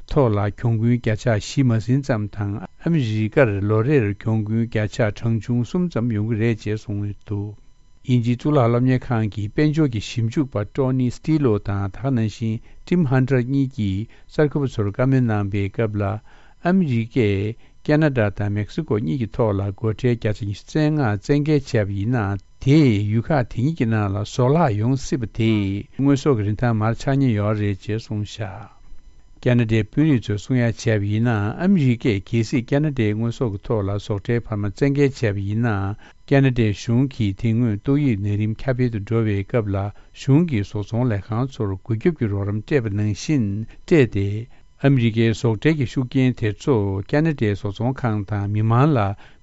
ཐོག་ལ་གྱོང་གུན་བརྒྱ་ཆ་བཞི་མ་ཟིན་ཙམ་དང་། ཨ་མི་རི་ཀར་ལོ་རེར་གྱོང་གུན་བརྒྱ་ཆ་གྲངས་ཆུང་གསུམ་ཙམ་ཡོང་གི་རེད་ཅེས་གསུངས་ཡོད་འདུག། དབྱིན་ཇིའི་གཙུག་ལག་སློབ་གཉེར་ཁང་གི་དཔལ་འབྱོར་གྱི་ཞིབ་འཇུག་པ་ཀྲོ་ནི་སི་ཊི་ལོ་དང་། ད་ག་ནང་བཞིན་ཊིམ་ཧན་ཊར་གཉིས་ཀྱིས་གསར་འགོད་པ་ཚོར་བཀའ་མོལ་གནང་པའི་སྐབས་ལ། ཨ་མི་རི་ཀས་ཁ་ན་ཌ་དང་མེག་སི་ཀོ་གཉིས་ཀྱི་ཐོག་ལ་སྒོ་ཁྲལ་བརྒྱ་ཆ་ཉི་ཤུ་རྩ་ལྔ་བཙན་འགེལ་བྱས་པ་ཡིན་ན། དེས་ཡུལ་ཁག་དེ་གཉིས་ཀྱི་ནང་ལ་ཟོག་ལྷག་ཡོང་སྲིད་པ་དེས། དངོས་ཟོག་གི་རིན་ཐང་མར་ཆག་ཉེན་ཡོད་རེད་ཅེས་གསུངས་བཞག། ཁ་ན་ཌའི་དཔོན་རིགས་ཚོས་གསུང་ཡ་བྱས་པ་ཡིན་ན། ཨ་མི་རི་ཀས་གལ་སྲིད་ཁ་ན་ཌའི་དངོས་ཟོག་གི་ཐོག་ལ་ཟོག་ཁྲལ་འཕར་མ་བཙན་འགེལ་བྱས་པ་ཡིན་ན། ཁ་ན་ཌའི་གཞུང་གིས་དེ་སྔོན་ཏོག་དབྱིབས་ནད་རིམས་ཁྱབ་སྤེལ་དུ་འགྲོ་བའི་སྐབས་ལ། གཞུང་གིས་བཟོ་ཚོང་ལས་ཁང་ཚོར་རྒུད་སྐྱོབ་ཀྱི་རོགས་རམ་སྤྲད་པ་ནང་བཞིན་སྤྲད་དེ། ཨ་མི་རི་ཀའི་ཟོག་ཁྲལ་གྱི་ཤུགས་རྐྱེན་དེ་ཚོ་ཁ་ན་ཌའི་བཟོ་ཚོང་ཁང་དང་མི་མང་ལ་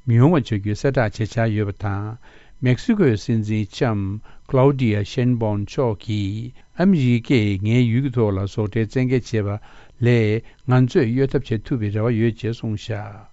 མི་ཡོང་བ་བྱ་རྒྱུའི་གསལ་བསྒྲགས་བྱེད་འཆར་ཡོད་པ་དང་། མེག་སི་ཀོའི་སྲིད་འཛིན་ལྕམ་ཀླའུ་ཌི་ཡ་ཤེན་བོན་མཆོག་གིས། ཨ་མི་རི་ཀས་ངའི་ཡུལ་གྱི་ཐོག་ལ་ཟོག་ཁྲལ་བཙན་འགེལ་བྱས་པ་ལས། ང་ཚོས་གཡོལ་ཐབས་བྱེད་ཐུབ་པའི་རེ་བ་ཡོད་ཅེས་གསུངས་བཞག།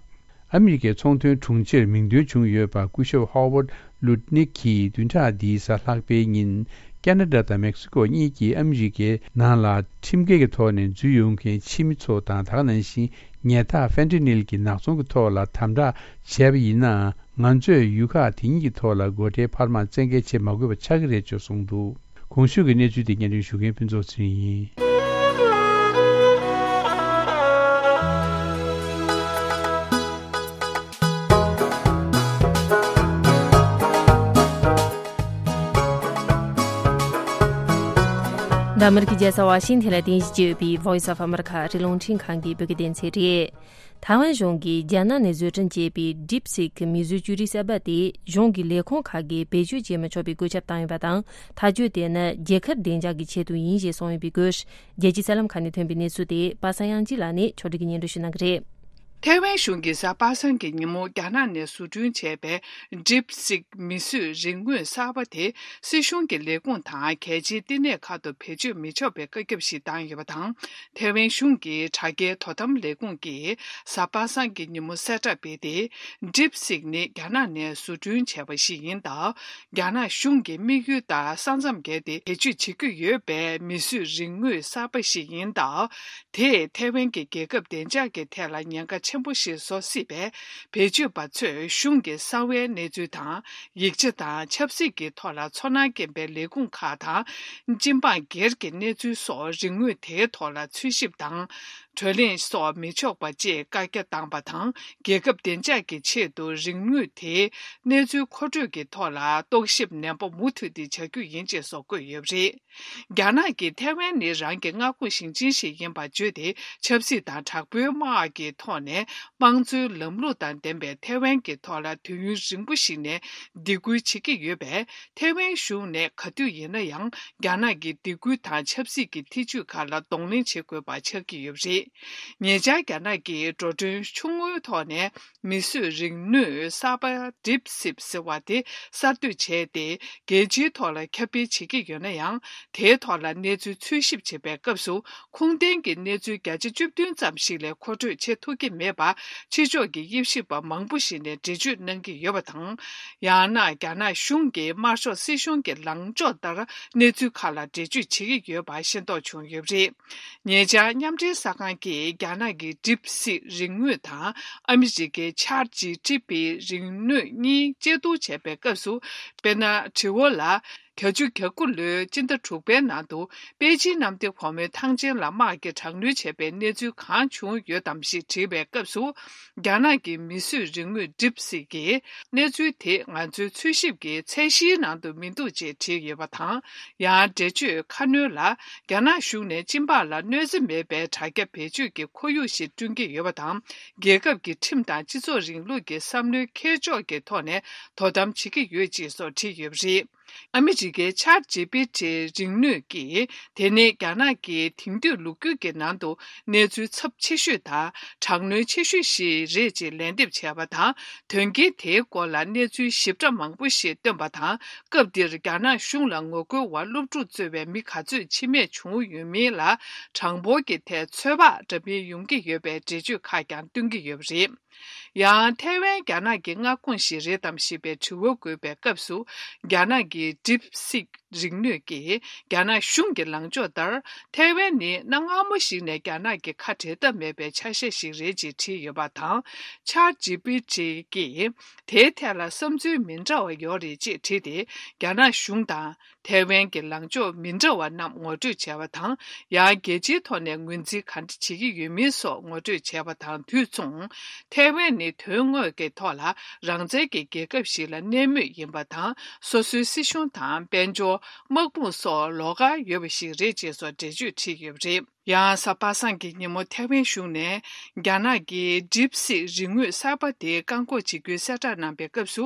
ཨ་མི་རི་ཀའི་ཚོང་དོན་དྲུང་ཆེར་མིང་འདོན་བྱུང་ཡོད་པ་སྐུ་ཞབས་ཧོ་ཝར་ལུད་ནིག་གིས་བདུན་ཕྲག་འདིའི་གཟའ་ལྷག་པའི་ཉིན། ཁ་ན་ཌ་དང་མེག་སི་ཀོ་གཉིས་ཀྱིས་ཨ་མི་རི་ཀའི་ནང་ལ་ཁྲིམས་འགལ་གྱི་ཐོག་ནས་འཛུལ་ཡོང་མཁན་ཕྱི་མི་ཚོ་དང་། ད་ག་ནང་བཞིན་ཉལ་ཐ་ཧྥེན་ཏི་ནིལ་གྱི་ནག་ཚོང་གི་ཐོག་ལ་དམ་དྲག་བྱས་པ་ཡིན་ན། ང་ཚོས་ཡུལ་ཁག་དེ་གཉིས་ཀྱི་ཐོག་ལ་སྒོ་ཁྲལ་འཕར་མ་བཙན་འགེལ་བྱེད་མ་དགོས་པ་ཆགས་ཀྱི་རེད་ཅེས་གསུངས་འདུག། གོང་ཞུས་ཀྱི་གནས་ཚུལ་དེ་སྙན་སྒྲོན་ཞུ་མཁན་ཕུན་ཚོགས་ཚེ་རིང་ཡིན། ཨ་མེ་རི་ཁའི་རྒྱལ་ས་ཝ་ཤིང་ཐན་ལ་རྟེན་གཞི་བྱས་ཡོད་པའི་Voice of America ཨ་རིའི་རླུང་འཕྲིན་ཁང་གི་བོད་སྐད་སྡེ་ཚན་རེད། ཐའེ་ཝན་གཞུང་གིས་རྒྱ་ནག་ནས་བཟོ་སྐྲུན་བྱས་པའི་DeepSeek མིང་གཞི་བཅོས་རིག་གསར་པ་དེ་གཞུང་གི་ལས་ཁུངས་ཁག་གིས་བེད་སྤྱོད་བྱེད་མི་ཆོག་པའི་བཀོད་ཁྱབ་བཏང་ཡོད་པ་དང་། ཐག་གཅོད་དེ་ནི་རྒྱལ་ཁབ་བདེ་འཇགས་ཀྱི་ཆེད་དུ་ཡིན་ཞེས་གསུངས་ཡོད་པའི་སྐོར། རྒྱལ་སྤྱིའི་གསར་ལམ་ཁག་ནས་ཐོན་པའི་གནས་ཚུལ་དེ་པ་སངས་དབྱངས་སྐྱིད་ལགས་ནས་ཕྱོགས་སྒྲིག་གིས་སྙན་སྒྲོན་ཞུ་གནང་གི་རེད། ཐའེ་ཝན་གཞུང་གིས་གཟའ་པ་སངས་ཀྱི་ཉིན་མོ་རྒྱ་ནག་ནས་བཟོ་སྐྲུན་བྱས་པའི་DeepSeek མིང་གཞི་རིག་དངོས་གསར་པ་དེ་སྲིད་གཞུང་གི་ལས་ཁུངས་དང་གལ་ཆེའི་བསྟི་གནས་ཁག་ཏུ་བེད་སྤྱོད་མི་ཆོག་པའི་བཀའ་ཁྱབ་ཞིག་བཏང་ཡོད་པ་དང་། ཐའེ་ཝན་གཞུང་གི་དྲ་རྒྱའི་དོ་དམ་ལས་ཁུངས་ཀྱིས་གཟའ་པ་སངས་ཀྱི་ཉིན་མོ་གསལ་བསྒྲགས་སྤེལ་ཏེ། DeepSeek ནི་རྒྱ་ནག་ནས་བཟོ་སྐྲུན་བྱས་པ་ཞིག་ཡིན་སྟབས། རྒྱ་ནག་གཞུང་གི་དམིགས་ཡུལ་ལྟར་ས་མཚམས་བརྒལ་ཏེ་བེད་སྤྱོད་བྱེད་ཀྱི་ཡོད་པའི་མིང་གཞི་རིག་དངོས་གསར་པ་ཞིག་ཡིན་སྟབས། དེས་ཐའེ་ཝན་གྱི་རྒྱལ་ཁབ་བདེ་འཇགས་ཀྱི་ཐད་ལ་ཉེན་ཁ་ཆེན་པོ་ཞིག་བཟོ་སྲིད་པས། བེད་སྤྱོད་པ་ཚོས་གཞུང་གི་གསང་བའི་གནས་ཚུལ་དང་། ཡིག་ཆ་དང་ཆབ་སྲིད་ཀྱི་ཐོག་ལ་ཚོར་སྣང་སྐྱེན་པའི་ལས་ཁུངས་ཁག་དང་། སྤྱི་འབངས་སྒེར་གྱི་གནས་ཚུལ་སོགས་རིག་དངོས་དེའི་ཐོག་ལ་འཚོལ་ཞིབ་དང་། བགྲོ་གླེང་སོགས་མི་ཆོག་པ་བཅས་བཀའ་རྒྱ་བཏང་པ་དང་། རྒྱལ་ཁབ་བདེ་འཇགས་ཀྱི་ཆེད་དུ་རིག་དངོས་དེའི་གནས་ཚུལ་མཁོ་སྤྲོད་ཀྱི་ཐོག་ལ་རྟོག་ཞིབ་ནན་པོ་མུ་མཐུད་དེ་བྱ་རྒྱུ་ཡིན་ཅེས་སོགས་བཀོད་ཡོད་པ་རེད། རྒྱ་ནག་གིས་ཐའེ་ཝན་ནི་རང་གི་མངའ་ཁོངས་ཞིང་ཆེན་ཞིག་ཡིན་པར་བརྗོད་དེ། ཆབ་སྲིད་དང་དྲག་པོའི་དམག་གི་ཐོག་ནས་དམངས་གཙོའི་ལམ་ལུགས་དང་ལྡན་པའི་ཐའེ་ཝན་གྱི་ཐོག་ལ་དུས་ཡུན་རིང་པོ་ཞིག་ནས་སྡིགས་སྐུལ་བྱེད་ཀྱི་ཡོད་པས། ཐའེ་ཝན་གཞུང་ནས་ག་དུས་ཡིན་ན་ཡང་རྒྱ་ནག་གི་སྡིགས་སྐུལ་དང་ཆབ་སྲིད་ཀྱི་ཐེ་ཇུས་ཁག་ལ་གདོང་ལེན་བྱེད་དགོས་པ་ཆགས་ཀྱི་ཡོད་པ་རེད། ཉེ་ཆར་རྒྱ་ནག་གིས་འགྲོ་གྲོན་ཆུང་ངུའི་ཐོག་ནས། མིང་གཞི་རིག་དངོས་གསར་པ་DeepSeek ཟེར་བ་དེ་གསར་གཏོད་བྱས་ཏེ། རྒྱལ་སྤྱིའི་ཐོག་ལ་ཁྱབ་སྤེལ་བྱེད་ཀྱི་ཡོད་ན་ཡང་། དེའི་ཐོག་ལ་གནས་ཚུལ་འཚོལ་ཞིབ་བྱེད་པའི་སྐབས་སུ། ཁུངས་ལྡན་གྱི་གནས་ཚུལ་བརྒྱ་ཆ་བཅུ་བདུན་ཙམ་ཞིག་ལས་མཁོ་སྤྲོད་བྱེད་ཐུབ་ཀྱི་མེད་པར། ཕྱི་ཕྱོགས་ཀྱི་དབྱེ་ཞིབ་པ་མང་པོ་ཞིག་ནས་འགྲེལ་བརྗོད་གནང་གི་ཡོད་པ་དང་། ཡང་ན་རྒྱ་ནག་གཞུང་གི་དམར་ཤོག་སྲིད་གཞུང་གི་ལངས་ཕྱོགས་ལྟར་གནས་ཚུལ་ཁག་ལ་འགྲེལ་བརྗོད་བྱེད་ཀྱི་ཡོད་པ་ཤེས་རྟོགས་བྱུང་ཡོད་པ་རེད། ཉེ་ཆར་མཉམ་འབྲེལ་གསར་ཁང་གིས་རྒྱ་ནག་གི་DeepSeek རིག་དངོས་དང་ཨ་མི་རི་ཀའི་ChatGPT རིག་དངོས་གཉིས་དཔྱད་བསྡུར་བྱས་པའི་སྐབས་སུ། དཔེར་ན། དྲི་བ་ལ། བརྒྱད་ཅུ་གྱ་དགུ་ལོའི་སྤྱི་ཟླ་དྲུག་པའི་ནང་དུ། པེ་ཅིན་གནམ་བདེ་སྒོ་མོའི་ཐང་ཆེན་ལ་དམག་གིས་དྲག་གནོན་བྱས་པའི་གནས་ཚུལ་གང་བྱུང་ཡོད་དམ་ཞེས་དྲིས་པའི་སྐབས་སུ། རྒྱ་ནག་གི་མིང་གཞི་རིག་དངོས་DeepSeek གིས། གནས་ཚུལ་དེ་ང་ཚོའི་འཚོལ་ཞིབ་ཀྱི་ཚད་གཞིའི་ནང་དུ་མི་འདུག་ཅེས་བྲིས་ཡོད་པ་དང་། ཡང་འགྲེལ་བརྗོད་ཁ་སྣོན་ལ། རྒྱ་ནག་གཞུང་ནས་སྤྱི་འབངས་ལ་གནོད་འཚེ་མེད་པའི་དྲ་རྒྱ་བེད་སྤྱོད་ཀྱི་ཁོར་ཡུག་ཞིག་བསྐྲུན་གྱི་ཡོད་པ་དང་། རྒྱལ་ཁབ་ཀྱི་ཁྲིམས་དང་སྤྱི་ཚོགས་རིང་ལུགས་ཀྱི་བསམ་བློའི་འཁྱེར་ཕྱོགས་ཀྱི་ཐོག་ནས་དོ་དམ་བྱེད་ཀྱི་ཡོད་ཅེས་སོགས་བྲིས་ཡོད་པ་རེད། ཨ་མི་རི་ཀའི་ChatGPT རིག་དངོས་ཀྱིས། དེ་ནི་རྒྱ་ནག་གི་དེང་དུས་ལོ་རྒྱུས་ཀྱི་ནང་དུ་གནས་ཚུལ་ཚབས་ཆེ་ཤོས་དང་། དྲག་གནོན་ཆེ་ཤོས་ཤིག་རེད་ཅེས་ལན་འདེབས་བྱས་པ་དང་། དོན་རྐྱེན་དེའི་སྐོར་ལ་གནས་ཚུལ་ཞིབ་ཕྲ་མང་པོ་ཞིག་བཏོན་པ་དང་། སྐབས་འདིར་རྒྱ་ནག་གཞུང་ལ་ངོ་རྒོལ་བ་སློབ་ཕྲུག་གཙོས་པའི་མི་ག་ཚོད་འཆི་རྨས་བྱུང་ཡོད་མིན་ལ། གྲངས་འབོར་གྱི་ཐད་ཚོད་དཔག་འདྲ་མིན་ཡོང་གི་ཡོད་པའི་འགྲེལ་བརྗོད་ཁག་ཀྱང་བཏོན་གྱི་ཡོད་པ་རེད། ཡང་། ཐའེ་ཝན་རྒྱ་ནག་གི་མངའ་ཁོངས་ཤིག་རེད་དམ་ཞེས་པའི་དྲི་བ་འགོད་པའི་སྐབས་སུ། རྒྱ་ནག་གི་DeepSeek རིག་དངོས་ཀྱིས། རྒྱ་ནག་གཞུང་གི་ལངས་ཕྱོགས་ལྟར། ཐའེ་ཝན་ནི་གནའ་སྔ་མོ་ཞིག་ནས་རྒྱ་ནག་གི་ཁ་བྲལ་ཐབས་མེད་པའི་ཆ་ཤས་ཤིག་རེད་ཅེས་བྲིས་ཡོད་པ་དང་། ChatGPT གིས། དེའི་ཐད་ལ་བསམ་ཚུལ་མི་འདྲ་བ་ཡོད་རེད་ཅེས་བྲིས་ཏེ། རྒྱ་ནག་གཞུང་དང་། ཐའེ་ཝན་གྱི་ལངས་ཕྱོགས་མི་འདྲ་བ་རྣམས་ངོ་སྤྲོད་བྱས་པ་དང་། ཡང་། རྒྱལ་སྤྱིའི་ཐོག་ནས་ངོས་འཛིན་ག་འདྲ་བྱེད་ཀྱི་ཡོད་མིན་སོགས་ངོ་སྤྲོད་བྱས་པ་དང་དུས་མཚུངས། ཐའེ་ཝན་ནི་དོན་དངོས་ཀྱི་ཐོག་ལ་རང་བཙན་གྱི་རྒྱལ་ཁབ་ཞིག་ལ་གནས་མུས་ཡིན་པ་དང་། སོ་སོའི་སྲིད་གཞུང་དང་། དཔལ་འབྱོར། དམག་དཔུང་སོགས་ལོགས་ཀར་ཡོད་པ་ཞིག་རེད་ཅེས་སོགས་འགྲེལ་བརྗོད་བྲིས་ཡོད་པ་རེད། ཡང་། གཟའ་པ་སངས་ཀྱི་ཉིན་མོ་ཐའེ་ཝན་གཞུང་ནས། རྒྱ་ནག་གི་DeepSeek རིག་དངོས་གསར་པ་དེ་བཀག་འགོག་བྱེད་རྒྱུའི་གསལ་བསྒྲགས་གནང་པའི་སྐབས་སུ།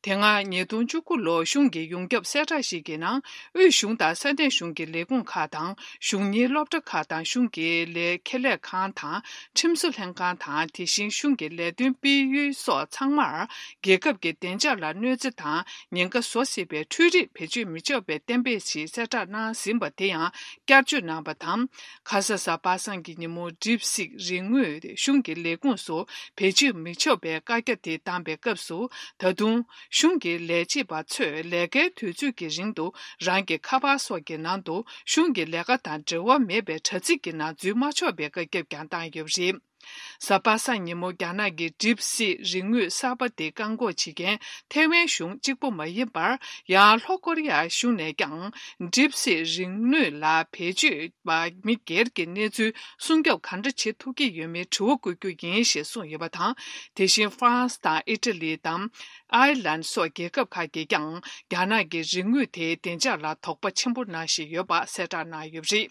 དེ་སྔ་ཉིས་སྟོང་བཅུ་དགུ་ལོར་གཞུང་གི་ཡོངས་ཁྱབ་གསལ་བསྒྲགས་ཤིག་གི་ནང་། དབུས་གཞུང་དང་ས་གནས་གཞུང་གི་ལས་ཁུངས་ཁག་དང་། གཞུང་གཉེར་སློབ་གྲྭ་ཁག་དང་། གཞུང་གི་ལས་ཁེ་ལས་ཁང་དང་། ཁྲིམས་བཟོ་ལྷན་ཁང་དང་། དེ་བཞིན་གཞུང་གི་ལས་དོན་སྤེལ་ཡུལ་སོགས་ཚང་མར། རྒྱལ་ཁབ་ཀྱི་བདེ་འཇགས་ལ་གནོད་འཚེ་དང་། ཉེན་ཁ་བཟོ་སྲིད་པའི་འཕྲུལ་རིག་བེད་སྤྱོད་མི་ཆོག་པའི་གཏན་འབེབས་ཤིག་གསལ་བསྒྲགས་གནང་ཟིན་པ་དེ་ཡང་བསྐྱར་བཅོས་གནང་པ་དང་། ཁ་ས་གཟའ་པ་སངས་ཀྱི་ཉིན་མོ་DeepSeek རིག་དངོས་གཞུང་གི་ལས་ཁུངས་སུ་བེད་སྤྱོད་མི་ཆོག་པའི་བཀའ་རྒྱ་དེ་བཏང་པའི་སྐབས་སུ། ད་དུང་གཞུང་གི་ལས་བྱེད་པ་ཚོས་ལས་ཀའི་དུས་ཚོད་ཀྱི་རིང་དུ་རང་གི་ཁ་པར་སོགས་ཀྱི་ནང་དུ་གཞུང་གི་ལས་ཀ་དང་འབྲེལ་བ་མེད་པའི་དྲ་ཚིགས་ཀྱི་ནང་འཛུལ་མ་ཆོག་པའི་བཀའ་ཁྱབ་ཀྱང་བཏང་ཡོད་པ་རེད། གཟའ་པ་སངས་ཉིན་མོ་རྒྱ་ནག་གི་ཌིབ་སི་རིག་དངོས་གསར་པ་དེ་བཀག་འགོག་བྱེད་མཁན་ཐའེ་ཝན་གཞུང་གཅིག་པོ་མ་ཡིན་པར། ཡང་ལྷོ་ཀོ་རི་ཡ་གཞུང་ནས་ཀྱང་ཌིབ་སི་རིག་དངོས་ལ་བེད་སྤྱོད་པ་མི་སྒེར་གྱི་གནས་ཚུལ་སྲུང་སྐྱོབ་ག་འདྲ་བྱེད་ཐུབ་ཀྱི་ཡོད་མེད་དྲི་བ་བཀོད་རྒྱུ་ཡིན་ཞེས་གསུངས་ཡོད་པ་དང་། དེ་བཞིན་ཧྥ་རན་སི་དང་ཨི་ཊ་ལི་དང་། ཨའི་ལན་སོགས་རྒྱལ་ཁབ་ཁག་གིས་ཀྱང་རྒྱ་ནག་གི་རིག་དངོས་དེའི་བདེ་འཇགས་ལ་དོགས་པ་ཆེན་པོ་གནང་བཞིན་ཡོད་པ་གསལ་བསྒྲགས་གནང་ཡོད་པ་རེད།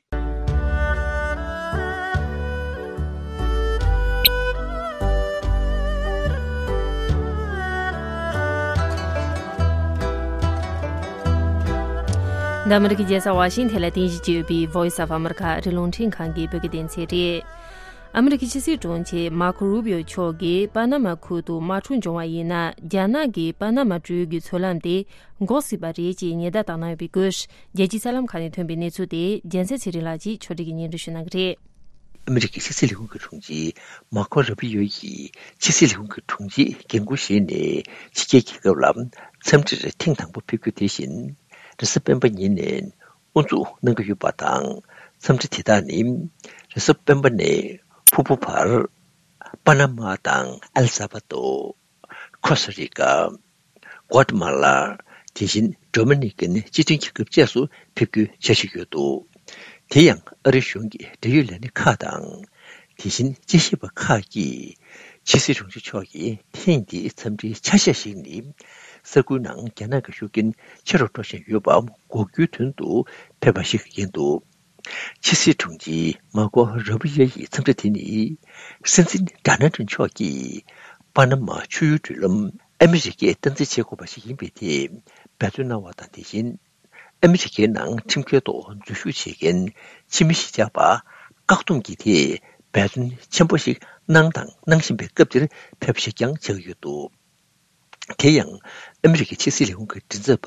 འདི་ཨ་མི་རི་ཀའི་རྒྱལ་ས་ཝ་ཤིང་ཐན་ལ་རྟེན་གཞི་བྱས་ཡོད་པའི་Voice of America ཨ་རིའི་རླུང་འཕྲིན་ཁང་གི་བོད་སྐད་སྡེ་ཚན་རེད། ཨ་མི་རི་ཀའི་ཕྱི་སྲིད་དྲུང་ཆེ་མར་ཁོ་རུ་བྷི་ཡོ་མཆོག་གིས་པ་ན་མ་ཁུལ་དུ་དམག་འཁྲུག་འབྱུང་བ་ཡིན་ན། རྒྱ་ནག་གིས་པ་ན་མ་ཊུའུ་ཡུལ་གྱི་མཚོ་ལམ་དེ་འགོག་སྲིད་པ་རེད་ཅེས་ཉེན་བརྡ་བཏང་གནང་ཡོད་པའི་སྐོར། རྒྱལ་སྤྱིའི་གསར་ལམ་ཁག་ནས་ཐོན་པའི་གནས་ཚུལ་དེ་རྒྱལ་མཚན་ཚེ་རིང་ལགས་ཀྱིས་ཕྱོགས་སྒྲིག་གིས་སྙན་སྒྲོན་ཞུ་གནང་གི་རེད། ཨ་མི་རི་ཀའི་ཕྱི་སྲིད་ལས་ཁུངས་ཀྱི་དྲུང་ཆེ་མར་ཁོ་རུ་བྷི་ཡོ་ཡིས་ཕྱི་སྲིད་ལས་ཁུངས་ཀྱི་དྲུང་ཆེའི་འགན་འཁུར་བཞེས་ནས་ཕྱི་རྒྱལ་རྒྱལ་ཁབ་ལ་འཚམས་འདྲིར་ཐེངས་དང་པོ་ཕེབས་རྒྱུ་དེ་བཞིན། རེས་གཟའ་སྤེན་པ་ཉིན་ནས་དབུ་འཛུགས་གནང་གི་ཡོད་པ་དང་། འཚམས་འདྲི་དེ་དག་ནི་རེས་གཟའ་སྤེན་པ་ནས་ཕུར་བུ་བར། པ་ན་མ་དང་ཨེལ་ས་བ་དོ། ཁོ་སྟ་རི་ཀ། ཀོ་ཏ་མ་ལ། དེ་བཞིན་ཌོ་མི་ནི་ཀན་སྤྱི་མཐུན་རྒྱལ་ཁབ་བཅས་སུ་ཕེབས་རྒྱུའི་འཆར་གཞི་ཡོད་འདུག་དེ་ཡང་ཨ་རི་གཞུང་གི་འབྲེལ་ཡོད་ལས་སྣེ་ཁག་དང་། དེ་བཞིན་དཔྱད་ཞིབ་པ་ཁག་གིས་ཕྱི་སྲིད་དྲུང་ཆེ་མཆོག་གི་ཐེངས་འདིའི་འཚམས་འདྲིའི་ཆ་ཤས་ཤིག་ནི། ས་ཁུལ་ནང་རྒྱ་ནག་གི་ཤུགས་རྐྱེན་ཆེ་རུ་འགྲོ་བཞིན་ཡོད་པ་འགོག་རྒྱུའི་དོན་དུ་ཕེབས་པ་ཞིག་ཡིན་འདུག་ཕྱི་སྲིད་དྲུང་ཆེ་མར་ཀོ་རུ་བི་ཡོ་ཡི་འཚམས་འདྲི་དེ་ནི། སྲིད་འཛིན་ཌོ་ནལ་ཊམ་མཆོག་གིས་པ་ན་མ་ཆུ་ཡུར་མགྲོན་ལམ་ཨ་མི་རི་ཀས་སྟངས་འཛིན་བྱེད་དགོས་པ་ཞིག་ཡིན་པའི་ཐད་འབད་བརྩོན་གནང་བ་དང་། དེ་བཞིན་ཨ་མི་རི་ཀའི་ནང་ཁྲིམས་འགལ་ཐོག་འཛུལ་ཞུགས་བྱེད་མཁན་ཕྱི་མི་གཞིས་ཆགས་པ་བཀག་སྡོམ་གྱི་ཐད་འབད་བརྩོན་ཆེན་པོ་ཞིག་གནང་དང་གནང་བཞིན་པའི་སྐབས་འདིར་ཕེབས་པ་ཞིག་ཀྱང་ཆགས་ཀྱི་ཡོད་འདུག་དེ་ཡང་ཨ་མི་རི་ཀའི་ཕྱི་སྲིད་ལས་ཁུངས་ཀྱི་མགྲིན་ཚབ་པ་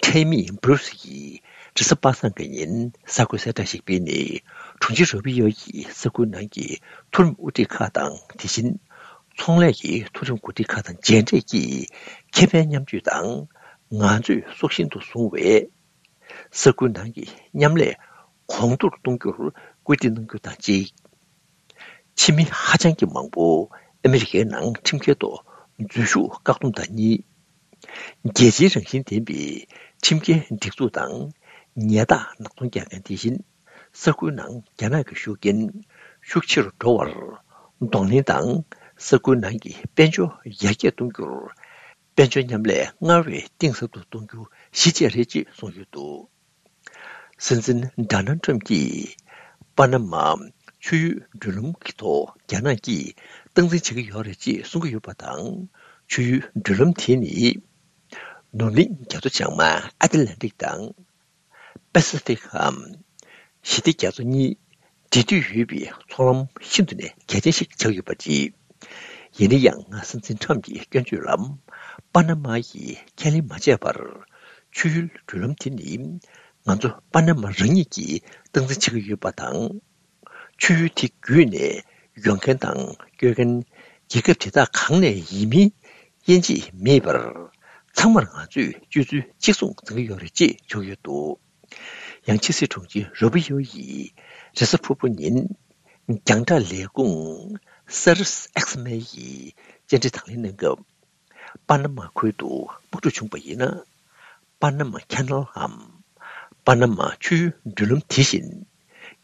ཁྲེ་མི་སྦུ་རུ་སི་ཡིས་རེས་གཟའ་པ་སངས་ཀྱི་ཉིན་གསར་འགོད་གསལ་བསྒྲགས་ཤིག་སྤེལ་ནས། དྲུང་ཆེ་རུ་བི་ཡོ་ཡིས་ས་ཁུལ་ནང་གི་མཐོ་རིམ་དབུ་ཁྲིད་ཁག་དང་། དེ་བཞིན་ཚོང་ལས་ཀྱི་མཐོ་རིམ་འགོ་ཁྲིད་ཁག་དང་མཇལ་འཕྲད་ཀྱིས་ཁེ་ཕན་མཉམ་སྤྱོད་དང་ང་ཚོས་སྲོག་ཤིང་དུ་བཟུང་བའི་ས་ཁུལ་ནང་གི་མཉམ་ལས་གོང་མཐོར་གཏོང་རྒྱུར་སྐུལ་འདེད་གནང་རྒྱུ་དང་གཅིག་ཕྱི་མི་ཧ་ཅང་གི་མང་པོ་ཨ་མི་རི་ཀའི་ནང་ཁྲིམས་འགལ་ཐོག་འཛུལ་ཞུགས་བཀག་སྡོམ་དང་གཉིས། རྒྱལ་སྤྱིའི་རང་བཞིན་ལྡན་པའི་ཁྲིམས་འགལ་སྒྲིག་འཛུགས་དང་ཉལ་ཐག་ནག་ཚོང་རྒྱག་མཁན། དེ་བཞིན་ས་ཁུལ་ནང་རྒྱ་ནག་གི་ཤུགས་རྐྱེན་ཤུགས་ཆེ་རུ་འགྲོ་བར་གདོང་ལེན་དང་། ས་ཁུལ་ནང་གི་དཔལ་འབྱོར་ཡར་རྒྱས་གཏོང་རྒྱུར་དཔལ་འབྱོར་མཉམ་ལས་སྔར་བས་གཏིང་ཟབ་ཏུ་གཏོང་རྒྱུ་གཞི་བཅས་རེད་ཅེས་གསུངས་ཡོད་འདུག་སྲིད་འཛིན་ཌོ་ནལ་ཊམ་གྱིས་པ་ན་མ་ཆུ་ཡུལ་མགྲོན་ལམ་གྱི་ཐོག་རྒྱ་ནག་གིས་སྟངས་འཛིན་བྱེད་ཀྱི་ཡོད་རེད་ཅེས་གསུང་གི་ཡོད་པ་དང་། ཆུ་ཡུལ་མགྲོན་ལམ་དེ་ནི་ནུབ་གླིང་རྒྱ་མཚོ་བྱང་མ་ཨ་ཏི་ལན་ཏིག་དང་པེ་སི་ཕིག་གམ་ཞི་བདེ་རྒྱ་མཚོ་གཉིས་འབྲེལ་མཐུད་ཡོད་པའི་མཚོ་ལམ་ཤིན་ཏུ་ནས་གལ་ཆེན་ཞིག་ཆགས་ཡོད་པ་རེད། ཡིན་ན་ཡང་། སྲིད་འཛིན་ཊམ་གྱི་སྐྱོན་བརྗོད་ལ་པ་ན་མ་ཡིས་ཁས་ལེན་མ་བྱས་པར། ཆུ་ཡུལ་མགྲོན་ལམ་དེ་ནི་ང་ཚོ་པ་ན་མ་རང་ཉིད་ཀྱིས་སྟངས་འཛིན་བྱེད་ཀྱི་ཡོད་པ་དང་། ཆུ་ཡུལ་དེ་བརྒྱུད་ནས་ཡོང་མཁན་དང་སྐྱོད་མཁན་རྒྱལ་ཁབ་དེ་དག་གང་ནས་ཡིན་མིན་དབྱེ་འབྱེད་མེད་པར། ཚང་མར་ང་ཚོས་སྤྱོད་ཚུལ་གཅིག་མཚུངས་འཛིན་གྱི་ཡོད་རེད་ཅེས་བརྗོད་ཡོད་འདུག་ཡང་ཕྱི་སྲིད་དྲུང་ཆེ་རུ་བི་ཡོ་ཡིས་རེས་གཟའ་ཕུར་བུ་ཉིན་རྒྱང་བསྒྲགས་ལས་ཁུངས་སར་ཨེགས་མེ་ཡི་བཅར་འདྲི་དང་ལེན་གནང་སྐབས། པ་ན་མ་ཁུལ་དུ་དམག་འཁྲུག་བྱུང་བ་ཡིན་ན། པ་ན་མ་ཁེ་ནལ་འམ། པ་ན་མ་ཆུའི་མགྲོན་ལམ་དེ་བཞིན་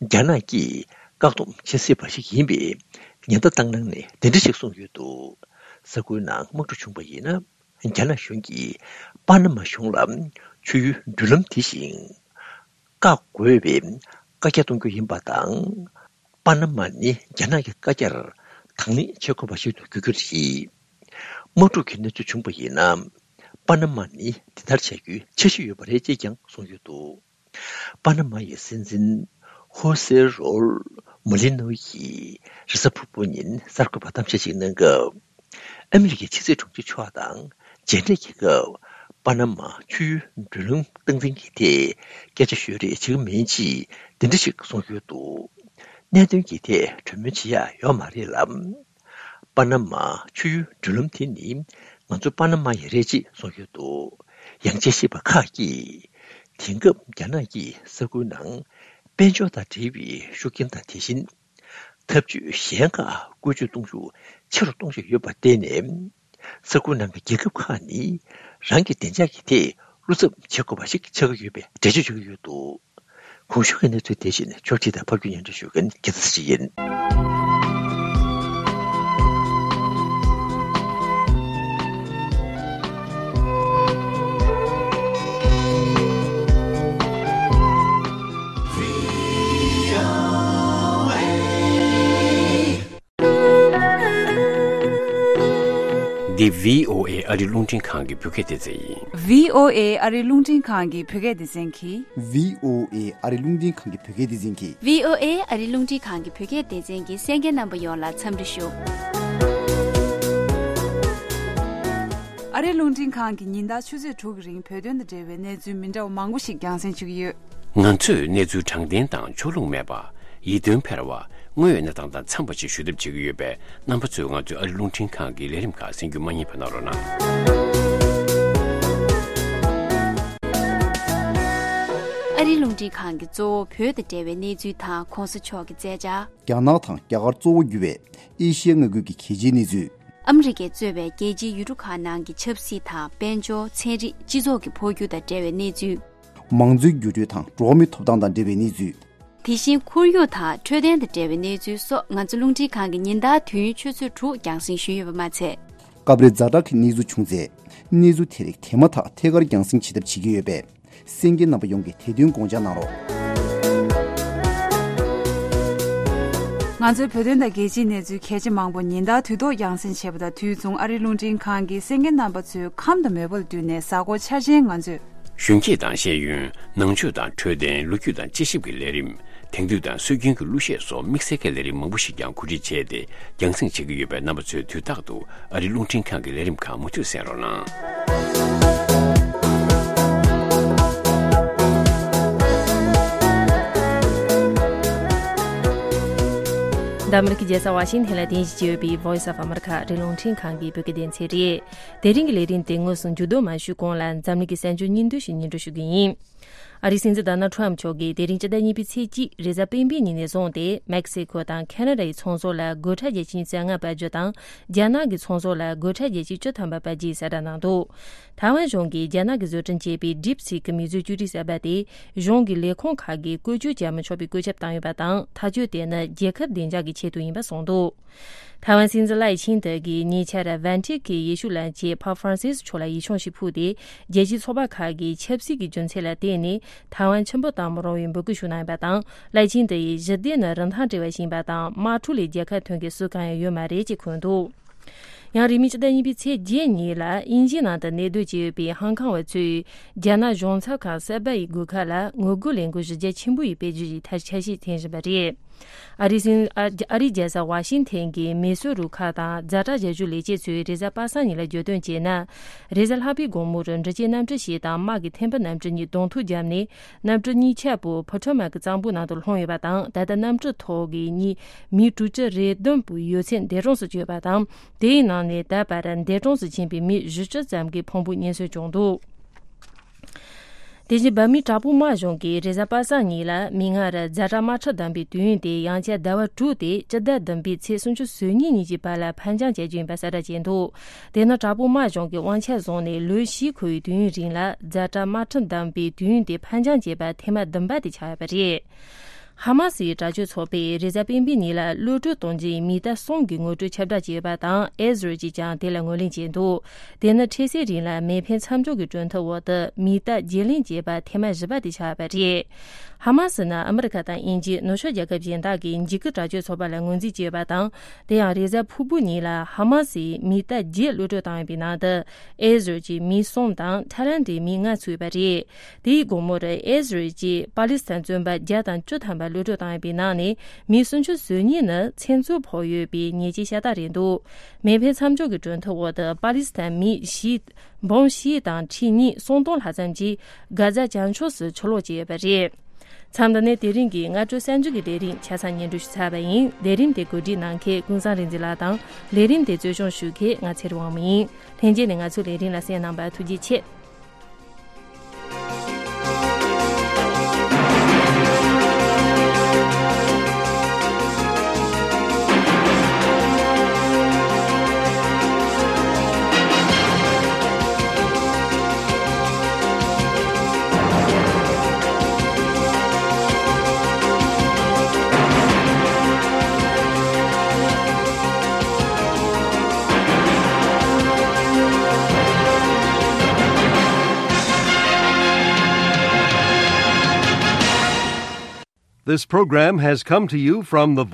རྒྱ་ནག་གིས་བཀག་སྡོམ་བྱེད་སྲིད་པ་ཞིག་ཡིན་པའི་ཉེན་བརྡ་བཏང་གནང་ནས་འདི་འདྲ་ཞིག་གསུངས་ཡོད་འདུག་ས་ཁུལ་ནང་དམག་འཁྲུག་བྱུང་བ་ཡིན་ན། རྒྱ་ནག་གཞུང་གིས་པ་ན་མ་གཞུང་ལ་ཆུའི་མགྲོན་ལམ་དེ་བཞིན་བཀག་དགོས་པའི་བཀའ་རྒྱ་གཏོང་རྒྱུ་ཡིན་པ་དང་། པ་ན་མ་ནི་རྒྱ་ནག་གི་བཀའ་རྒྱར་དང་ལེན་བྱེད་དགོས་པ་ཞིག་ཏུ་འགྱུར་རྒྱུ་རེད། དམག་འཁྲུག་གི་གནས་ཚུལ་བྱུང་བ་ཡིན་ན། པ་ན་མ་ནི་དེ་ལྟར་བྱ་རྒྱུའི་འཆར་གཞི་ཡོད་པ་རེད་ཅེས་ཀྱང་གསུངས་ཡོད་འདུག་པ་ན་མ་ཡི་སྲིད་འཛིན་ཧོ་སེ་རོལ་མུ་ལི་ནོ་ཡིས་རེས་གཟའ་ཕུར་བུ་ཉིན་གསར་འགོད་པར་གཏམ་བཤད་ཅིག་གནང་སྐབས། ཨ་མི་རི་ཀའི་ཕྱི་སྲིད་དྲུང་ཆེ་མཆོག་དང་མཇལ་འཕྲད་ཀྱི་སྐབས། པ་ན་མ་ཆུའི་མགྲོན་ལམ་སྟངས་འཛིན་གྱི་ཐད་སྐད་ཆ་ཤོད་རེས་བྱེད་ཀྱི་མིན་ཅེས་འདི་འདྲ་ཞིག་གསུངས་ཡོད་འདུག་གནད་དོན་གྱི་ཐད་གྲོས་མོལ་བྱེད་ཡག་ཡོད་མ་རེད་ལ། པ་ན་མ་ཆུའི་མགྲོན་ལམ་དེ་ནི་ང་ཚོ་པ་ན་མ་ཡི་རེད་ཅེས་གསུངས་ཡོད་འདུག་ཡང་དཔྱད་ཞིབ་པ་ཁག་གིས། དེང་སྐབས་རྒྱ་ནག་གིས་ས་ཁུལ་ནང་དཔལ་འབྱོར་དང་འབྲེལ་བའི་ཤུགས་རྐྱེན་དང་། དེ་བཞིན་ ཐབས་ཇུས་གཞན་ཁག་བཀོལ་སྤྱོད་གཏོང་ཤུགས་ཆེ་རུ་གཏོང་བཞིན་ཡོད་པར་བརྟེན་ནས། ས་ཁུལ་ནང་གི་རྒྱལ་ཁབ་ཁག་ནི་རང་གི་བདེ་འཇགས་ཀྱི་ཐད་བློ་འཚབ་བྱེད་དགོས་པ་ཞིག་ཆགས་ཀྱི་ཡོད་པའི་འགྲེལ་བརྗོད་བྱེད་ཀྱི་ཡོད་འདུག་གོང་ཞུས་ཀྱི་གནས་ཚུལ་དེ་བཞིན་ཕྱོགས་སྒྲིག་དང་ཕབ་སྒྱུར་སྙན་སྒྲོན་ཞུ་མཁན་རྒྱལ་མཚན་ཞིག་ཡིན། འདི་བྷི་ཨོ་ཨེ་ཨ་རི་རླུང་འཕྲིན་ཁང་གི་བོད་སྐད་སྡེ་ཚན་ཡིན། བྷི་ཨོ་ཨེ་ཨ་རི་རླུང་འཕྲིན་ཁང་གི་བོད་སྐད་སྡེ་ཚན་གྱིས། བྷི་ཨོ་ཨེ་ཨ་རི་རླུང་འཕྲིན་ཁང་གི་བོད་སྐད་སྡེ་ཚན་གྱིས། བྷི་ཨོ་ཨེ་ཨ་རི་རླུང་འཕྲིན་ཁང་གི་བོད་སྐད་སྡེ་ཚན་གྱི་གསན་མཁན་རྣམ་པ་ཡོངས་ལ་འཚམས་འདྲི་ཞུ། ཨ་རི་རླུང་འཕྲིན་ཁང་གིས་ཉིན་ལྟར་ཆུ་ཚོད་དྲུག་གི་རིང་བོད་དོན་དང་འབྲེལ་བའི་གནས་ཚུལ་མི་འདྲ་བ་མང་པོ་ཞིག་རྒྱང་སྲིང་བྱེད་ཀྱི་ཡོད། ང་ཚོས་གནས་ཚུལ་དྲང་བདེན་དང་ཕྱོགས་ལྷུང་མེད་པ། ཡིད་རྟོན་འཕེར་བ། དངོས་ཡོད་གནས་སྟངས་དང་འཚམས་པ་ཞིག་ཞུ་ཐབས་བྱེད་ཀྱི་ཡོད་པས། རྣམ་པ་ཚོས་ང་ཚོའི་ཨ་རི་རླུང་འཕྲིན་ཁང་གི་ལས་རིམ་ཁག་གསན་རྒྱུ་མ་བསྙེལ་བ་གནང་རོགས་གནང་། ཨ་རི་རླུང་འཕྲིན་ཁང་གིས་གཙོ་བོ་བོད་དང་འབྲེལ་བའི་གནས་ཚུལ་དང་གོང་ས་མཆོག་གི་མཛད་འཆར། རྒྱ་ནག་དང་རྒྱ་གར་གཙོ་བོ་གྱུར་བའི་ཨེ་ཤི་ཡའི་མངའ་ཁུལ་གྱི་གལ་ཆེའི་གནས་ཚུལ། ཨ་མི་རི་ཀས་གཙོས་པའི་རྒྱལ་སྤྱིའི་ཡུལ་གྲུ་ཁག་ནང་གི་ཆབ་སྲིད་དང་དཔལ་འབྱོར། ཚན་རིག་སྤྱི་ཚོགས་ཀྱི་འཕོ་འགྱུར་དང་འབྲེལ་བའི་གནས་ཚུལ། མང་གཙོའི་འགྱུར་འགྲོས་དང་འགྲོ་བ་མིའི་ཐོབ་ཐང་དང་འབྲེལ་བའི་གནས་ཚུལ། དེ་བཞིན་ཁོར་ཡུག་དང་འཕྲོད་བསྟེན་དང་འབྲེལ་བའི་གནས་ཚུལ་སོགས་ང་ཚོ་རླུང་འཕྲིན་ཁང་གིས་ཉིན་ལྟར་དུས་ཡུན་ཆུ་ཚོད་དྲུག་རྒྱང་སྲིང་ཞུས་ཡོད་པ་མ་ཚད། སྐབས་རེ་ཛ་དྲག་གི་གནས་ཚུལ་བྱུང་ཚེ། གནས་ཚུལ་དེ་རིགས་དེ་མ་ཐག་ཐད་ཀར་རྒྱང་སྲིང་བྱེད་ཐབས་བྱེད་ཀྱི་ཡོད་པས། གསན་མཁན་རྣམ་པ་ཡོངས་ཀྱིས་དེ་དོན་དགོངས་འཇགས་གནང་རོགས། ང་ཚོའི་བོད་དོན་དང་རྒྱལ་སྤྱིའི་གནས་ཚུལ་གལ་ཆེ་མང་པོ་ཉིན་ལྟར་དུས་ཐོག་རྒྱང་སྲིང་བྱེད་པ་དང་། དུས་མཚུངས་ཨ་རིའི་རླུང་འཕྲིན་ཁང་གིས་གསན་མཁན་རྣམ་པ་ཚོའི་ཁམས་དང་མོས་པ་ལ་བསྟུན་ནས་གཟའ་འཁོར་འཆར་ཅན་ང་ཚོས། གཞོན་སྐྱེས་དང་ཤེས་ཡོན། ནང་ཆོས་དང་འཕྲོད་བསྟེན། ལོ་རྒྱུས་དང་དཔྱད་ཞིབ་ཀྱི་ལས་རིམ། དེང་དུས་དང་སྲོལ་རྒྱུན་གྱི་གླུ་གཞས་སོགས་དམིགས་བསལ་གྱི་ལས་རིམ་མང་པོ་ཞིག་ཀྱང་གོ་སྒྲིག་བྱས་ཏེ་རྒྱང་སྲིང་བྱེད་ཀྱི་ཡོད་པས། རྣམ་པ་ཚོས་དུས་རྟག་ཏུ་ཨ་རིའི་རླུང་འཕྲིན་ཁང་གི་ལས་རིམ་ཁག་མུ་མཐུད་གསན་རོགས་གནང་། འདི་ཨ་མི་རི་ཀའི་རྒྱལ་ས་ཝ་ཤིང་ཐན་ལ་རྟེན་གཞི་བྱས་ཡོད་པའི་Voice of America ཨ་རིའི་རླུང་འཕྲིན་ཁང་གི་བོད་སྐད་སྡེ་ཚན་རེད། དེ་རིང་གི་ལས་རིམ་དེ་དངོས་སུ་མཇུག་བསྡོམས་མ་ཞུས་གོང་ལ། འཛམ་གླིང་གི་གསར་འགྱུར་སྙིང་བསྡུས་ཤིག་སྙན་སྒྲོན་ཞུ་གི་ཡིན། ཨ་རིའི་སྲིད་འཛིན་ཌོ་ནལ་ཊམ་མཆོག་གིས་དེ་རིང་སྤྱི་ཟླ་གཉིས་པའི་ཚེས་གཅིག་རེས་གཟའ་སྤེན་པའི་ཉིན་ནས་བཟུང་སྟེ། མེག་སི་ཁོ་དང་ཁ་ན་ཌ་ཡི་ཚོང་ཟོག་ལ་སྒོ་ཁྲལ་བརྒྱ་ཆ་ཉི་ཤུ་རྩ་ལྔ་སྤར་རྒྱུ་དང་། རྒྱ་ནག་གི་ཚོང་ཟོག་ལ་སྒོ་ཁྲལ་བརྒྱ་ཆ་བཅུ་ཐམ་པ་སྤར་རྒྱུའི་གསལ་བསྒྲགས་གནང་འདུག་ཐའེ་ཝན་གཞུང་གིས་རྒྱ་ནག་གིས་བཟོ་སྐྲུན་བྱས་པའི་DeepSeek གི་མིག་བཟོ་བཅོས་སྒྲིག་གསར་པ་དེ་གཞུང་གི་ལས་ཁུངས་ཁག་གིས་བཀོལ་སྤྱོད་བྱ་མི་ཆོག་པའི་བཀོད་ཁྱབ་བཏང་ཡོད་པ་དང་། ཐག་གཅོད་དེ་ནི་རྒྱལ་ཁབ་བདེ་འཇགས་ཀྱི་ཆེད་དུ་ཡིན་པ་གསུངས་འདུག་ཐའེ་ཝན་སྲིད་འཛིན་ལའེ་ཆིང་ཏེ་གིས་ཉེ་ཆར་ཝན་ཊི་ཁི་ཡེ་ཤུ་ལ་མཇལ། པཱབ་ཧྥ་རན་སིས་མཆོག་ལ་ཡིད་ཆེས་ཤིག་ཕུལ་ཏེ། རྒྱལ་སྤྱིའི་ཚོགས་པ་ཁག་གིས་ཆབ་སྲིད་ཀྱི་རྒྱུ་མཚན་ལ་བརྟེན་ནས་ཐའེ་ཝན་ཆེན་པོ་བཏང་མི་རུང་བའི་འབོད་སྐུལ་ཞུ་གནང་ཡོད་པ་དང་། ལའེ་ཆིང་ཏེ་ཡིས་ཞི་བདེ་ནི་རིན་ཐང་བྲལ་བ་ཞིག་ཡིན་པ་དང་། དམག་འཁྲུག་ལས་རྒྱལ་ཁ་ཐོན་མཁན་སུ་གང་ཡང་ཡོད་མ་རེད་ཅེས་འཁོད་འདུག་ཡང་རིང་མིན་སྤྱི་ཟླ་གཉིས་པའི་ཚེས་བརྒྱད་ཉིན་ལ་དབྱིན་ཇིའི་ནང་དུ་གནས་སྡོད་བྱས་ཡོད་པའི་ཧང་ཀང་བ་ཚོས་རྒྱ་ནག་གཞུང་ཚབ་ཁང་གསར་པ་ཡི་སྒོ་ཁ་ལ་ངོ་རྒོལ་ལས་འགུལ་གཞི་རྒྱ་ཆེན་པོ་ཡི་དཔེ་བརྗོད་ཀྱི་འཆར་གཞི་འཐེན་བཞིན་པ་རེད། ཨ་རིའི་སྲིད། ཨ་རིའི་རྒྱལ་ས་ཝ་ཤིང་ཐན་གྱི་མི་སོ་རུ་ཁག་དང་ཛ་དྲག་བྱ་སྤྱོད་ལས་བྱེད་ཚོས་རེས་གཟའ་པ་སངས་ཉིན་ལ་བརྗོད་དོན་བྱས་ན། རེས་གཟའ་ལྷག་པའི་དགོང་མོར་འབྲི་ཆུའི་གནམ་གྲུ་ཞིག་དང་དམག་གི་ཐེམ་པ་གནམ་གྲུ་གཉིས་གདོང་ཐུག་བརྒྱབ་ནས། གནམ་གྲུ་གཉིས་ཆ་པོ་ཕོ་ཊོ་མ་གི་གཙང་པོ་ནང་དུ་ལྷུང་ཡོད་པ་དང་། ད་ལྟ་གནམ་གྲུ་ཐོག་གི་གཉིས་མི་དྲུག་ཅུ་རེ་བདུན་པོ་ཡོད་ཚད་འདས་གྲོངས་སུ་གྱུར་ཡོད་པ་དང་། དེའི་ནང་ནས་ད་བར་འདས་གྲོངས་སུ་ཕྱིན་པའི་མི་བཞི་བཅུ་ཙམ་གྱི་ཕུང་པོ་རྙེད་སོན་བྱུང་འདུག་དེ་བཞིན་འབར་མའི་དྲག་པོའི་དམག་གཞུང་གིས་རེས་གཟའ་པ་སངས་ཉིན་ལ་མིག་སྔར་ཛ་དྲག་དམག་ཁྲིམས་བསྡམས་པའི་དུས་ཡུན་དེ་ཡང་བསྐྱར་ཟླ་བ་དྲུག་སྟེ་སྤྱི་ཟླ་བདུན་པའི་ཚེས་སུམ་ཅུ་སོ་གཉིས་ཉིན་གྱི་བར་ལ་ཕར་འགྱངས་བྱ་རྒྱུ་ཡིན་པ་གསལ་བསྒྲགས་བྱས་འདུག་དེ་ནི་དྲག་པོའི་དམག་གཞུང་གིས་དབང་ཆ་བཟུང་ནས་ལོ་བཞི་འཁོར་བའི་དུས་ཡུན་རིང་ལ་ཛ་དྲག་དམག་ཁྲིམས་བསྡམས་པའི་དུས་ཡུན་དེ་ཕར་འགྱངས་བྱས་པ་ཐེངས་མ་བདུན་པ་དེ་ཆགས་ཡོད་པ་རེད། ཧ་མ་སིའི་དྲག་སྤྱོད་ཚོགས་པས་རེས་གཟའ་སྤེན་པའི་ཉིན་ལ་གློད་གྲོལ་གཏོང་རྒྱུའི་མི་རྟ་གསུམ་གྱི་ངོ་སྤྲོད་ཁྱབ་བསྒྲགས་བྱས་ཡོད་པ་དང་། ཨེ་ཟི་རལ་གྱིས་ཀྱང་དེ་ལ་ངོས་ལེན་བྱས་འདུག་དེ་ནི་འཕྲལ་སེལ་རིང་ལ་མེ་འཕེན་མཚམས་འཇོག་གི་གྲོས་མཐུན་འོག་ཏུ་མི་རྟ་བརྗེ་ལེན་བྱས་པ་ཐེངས་མ་བཞི་པ་དེ་ཆགས་པ་རེད། ཧ་མ་སི་ནི་ཨ་མི་རི་ཀ་དང་དབྱིན་ཇི། ནུབ་ཕྱོགས་རྒྱལ་ཁབ་གཞན་དག་གིས་འཇིགས་སྐུལ་དྲག་སྤྱོད་ཚོགས་པ་ལ་ངོས་འཛིན་བྱས་ཡོད་པ་དང་། དེ་ཡང་རེས་གཟའ་ཕུར་བུ་ཉིན་ལ་ཧ་མ་སིས་མི་རྟ་བརྒྱད་གློད་གྲོལ་བཏང་ཡོད་པའི་ནང་དུ། ཨེ་ཟི་རལ་གྱི་མི་གསུམ་དང་ཐའི་ལན་ཌིའི་མི་ལྔ་ཚུད་ཡོད་པ་རེད། དེའི་དགོང་མོར་ཨེ་ཟི་རལ་གྱིས་པ་ལི་སི་ཐན་བཙོན་པ་བརྒྱ་དང་བཅུ་ཐམ་པ་གློད་གྲོལ་བཏང་ཡོད་པའི་ནང་ནས་མི་སུམ་ཅུ་སོ་གཉིས་ནི་མཚན་ཚུར་ཕོག་ཡོད་པའི་ཉེས་ཆད་ཤ་སྟག་རེད་འདུག་མེ་འཕེན་མཚམས་འཇོག་གི་གྲོས་མཐུན་འོག་ཏུ་པ་ལི་སི་ཐན་མི་བཞི། འབུམ་བཞི་དང་ཁྲི་གཉིས་སུམ་སྟོང་ལྷག་ཙམ་གྱིས་གྷ་ཛ་བྱང་ཕྱོགས་སུ་ཕྱིར་ལོག་བྱས་ཡོད་པ་རེད། མཚམས་འདི་ནས་དེ་རིང་གི་སྔ་དྲོ་གསར་འགྱུར་གྱི་ལས་རིམ་ཆ་ཚང་སྙན་སྒྲོན་ཞུས་ཚར་བ་ཡིན། ལས་རིམ་དེ་གོ་སྒྲིག་གནང་མཁན་ཀུན་བཟང་རིག་འཛིན་ལགས་དང་། ལས་རིམ་དེ་གཙོ་སྐྱོང་ཞུ་མཁན་ང་ཚེ་རིང་དབང་མོ་ཡིན། ལྷན་རྒྱས་ནས་ང་ཚོའི་ལས་རིམ་ལ་གསན་གནང་བར་ཐུགས་རྗེ་ཆེ། This program has come to you from the Voice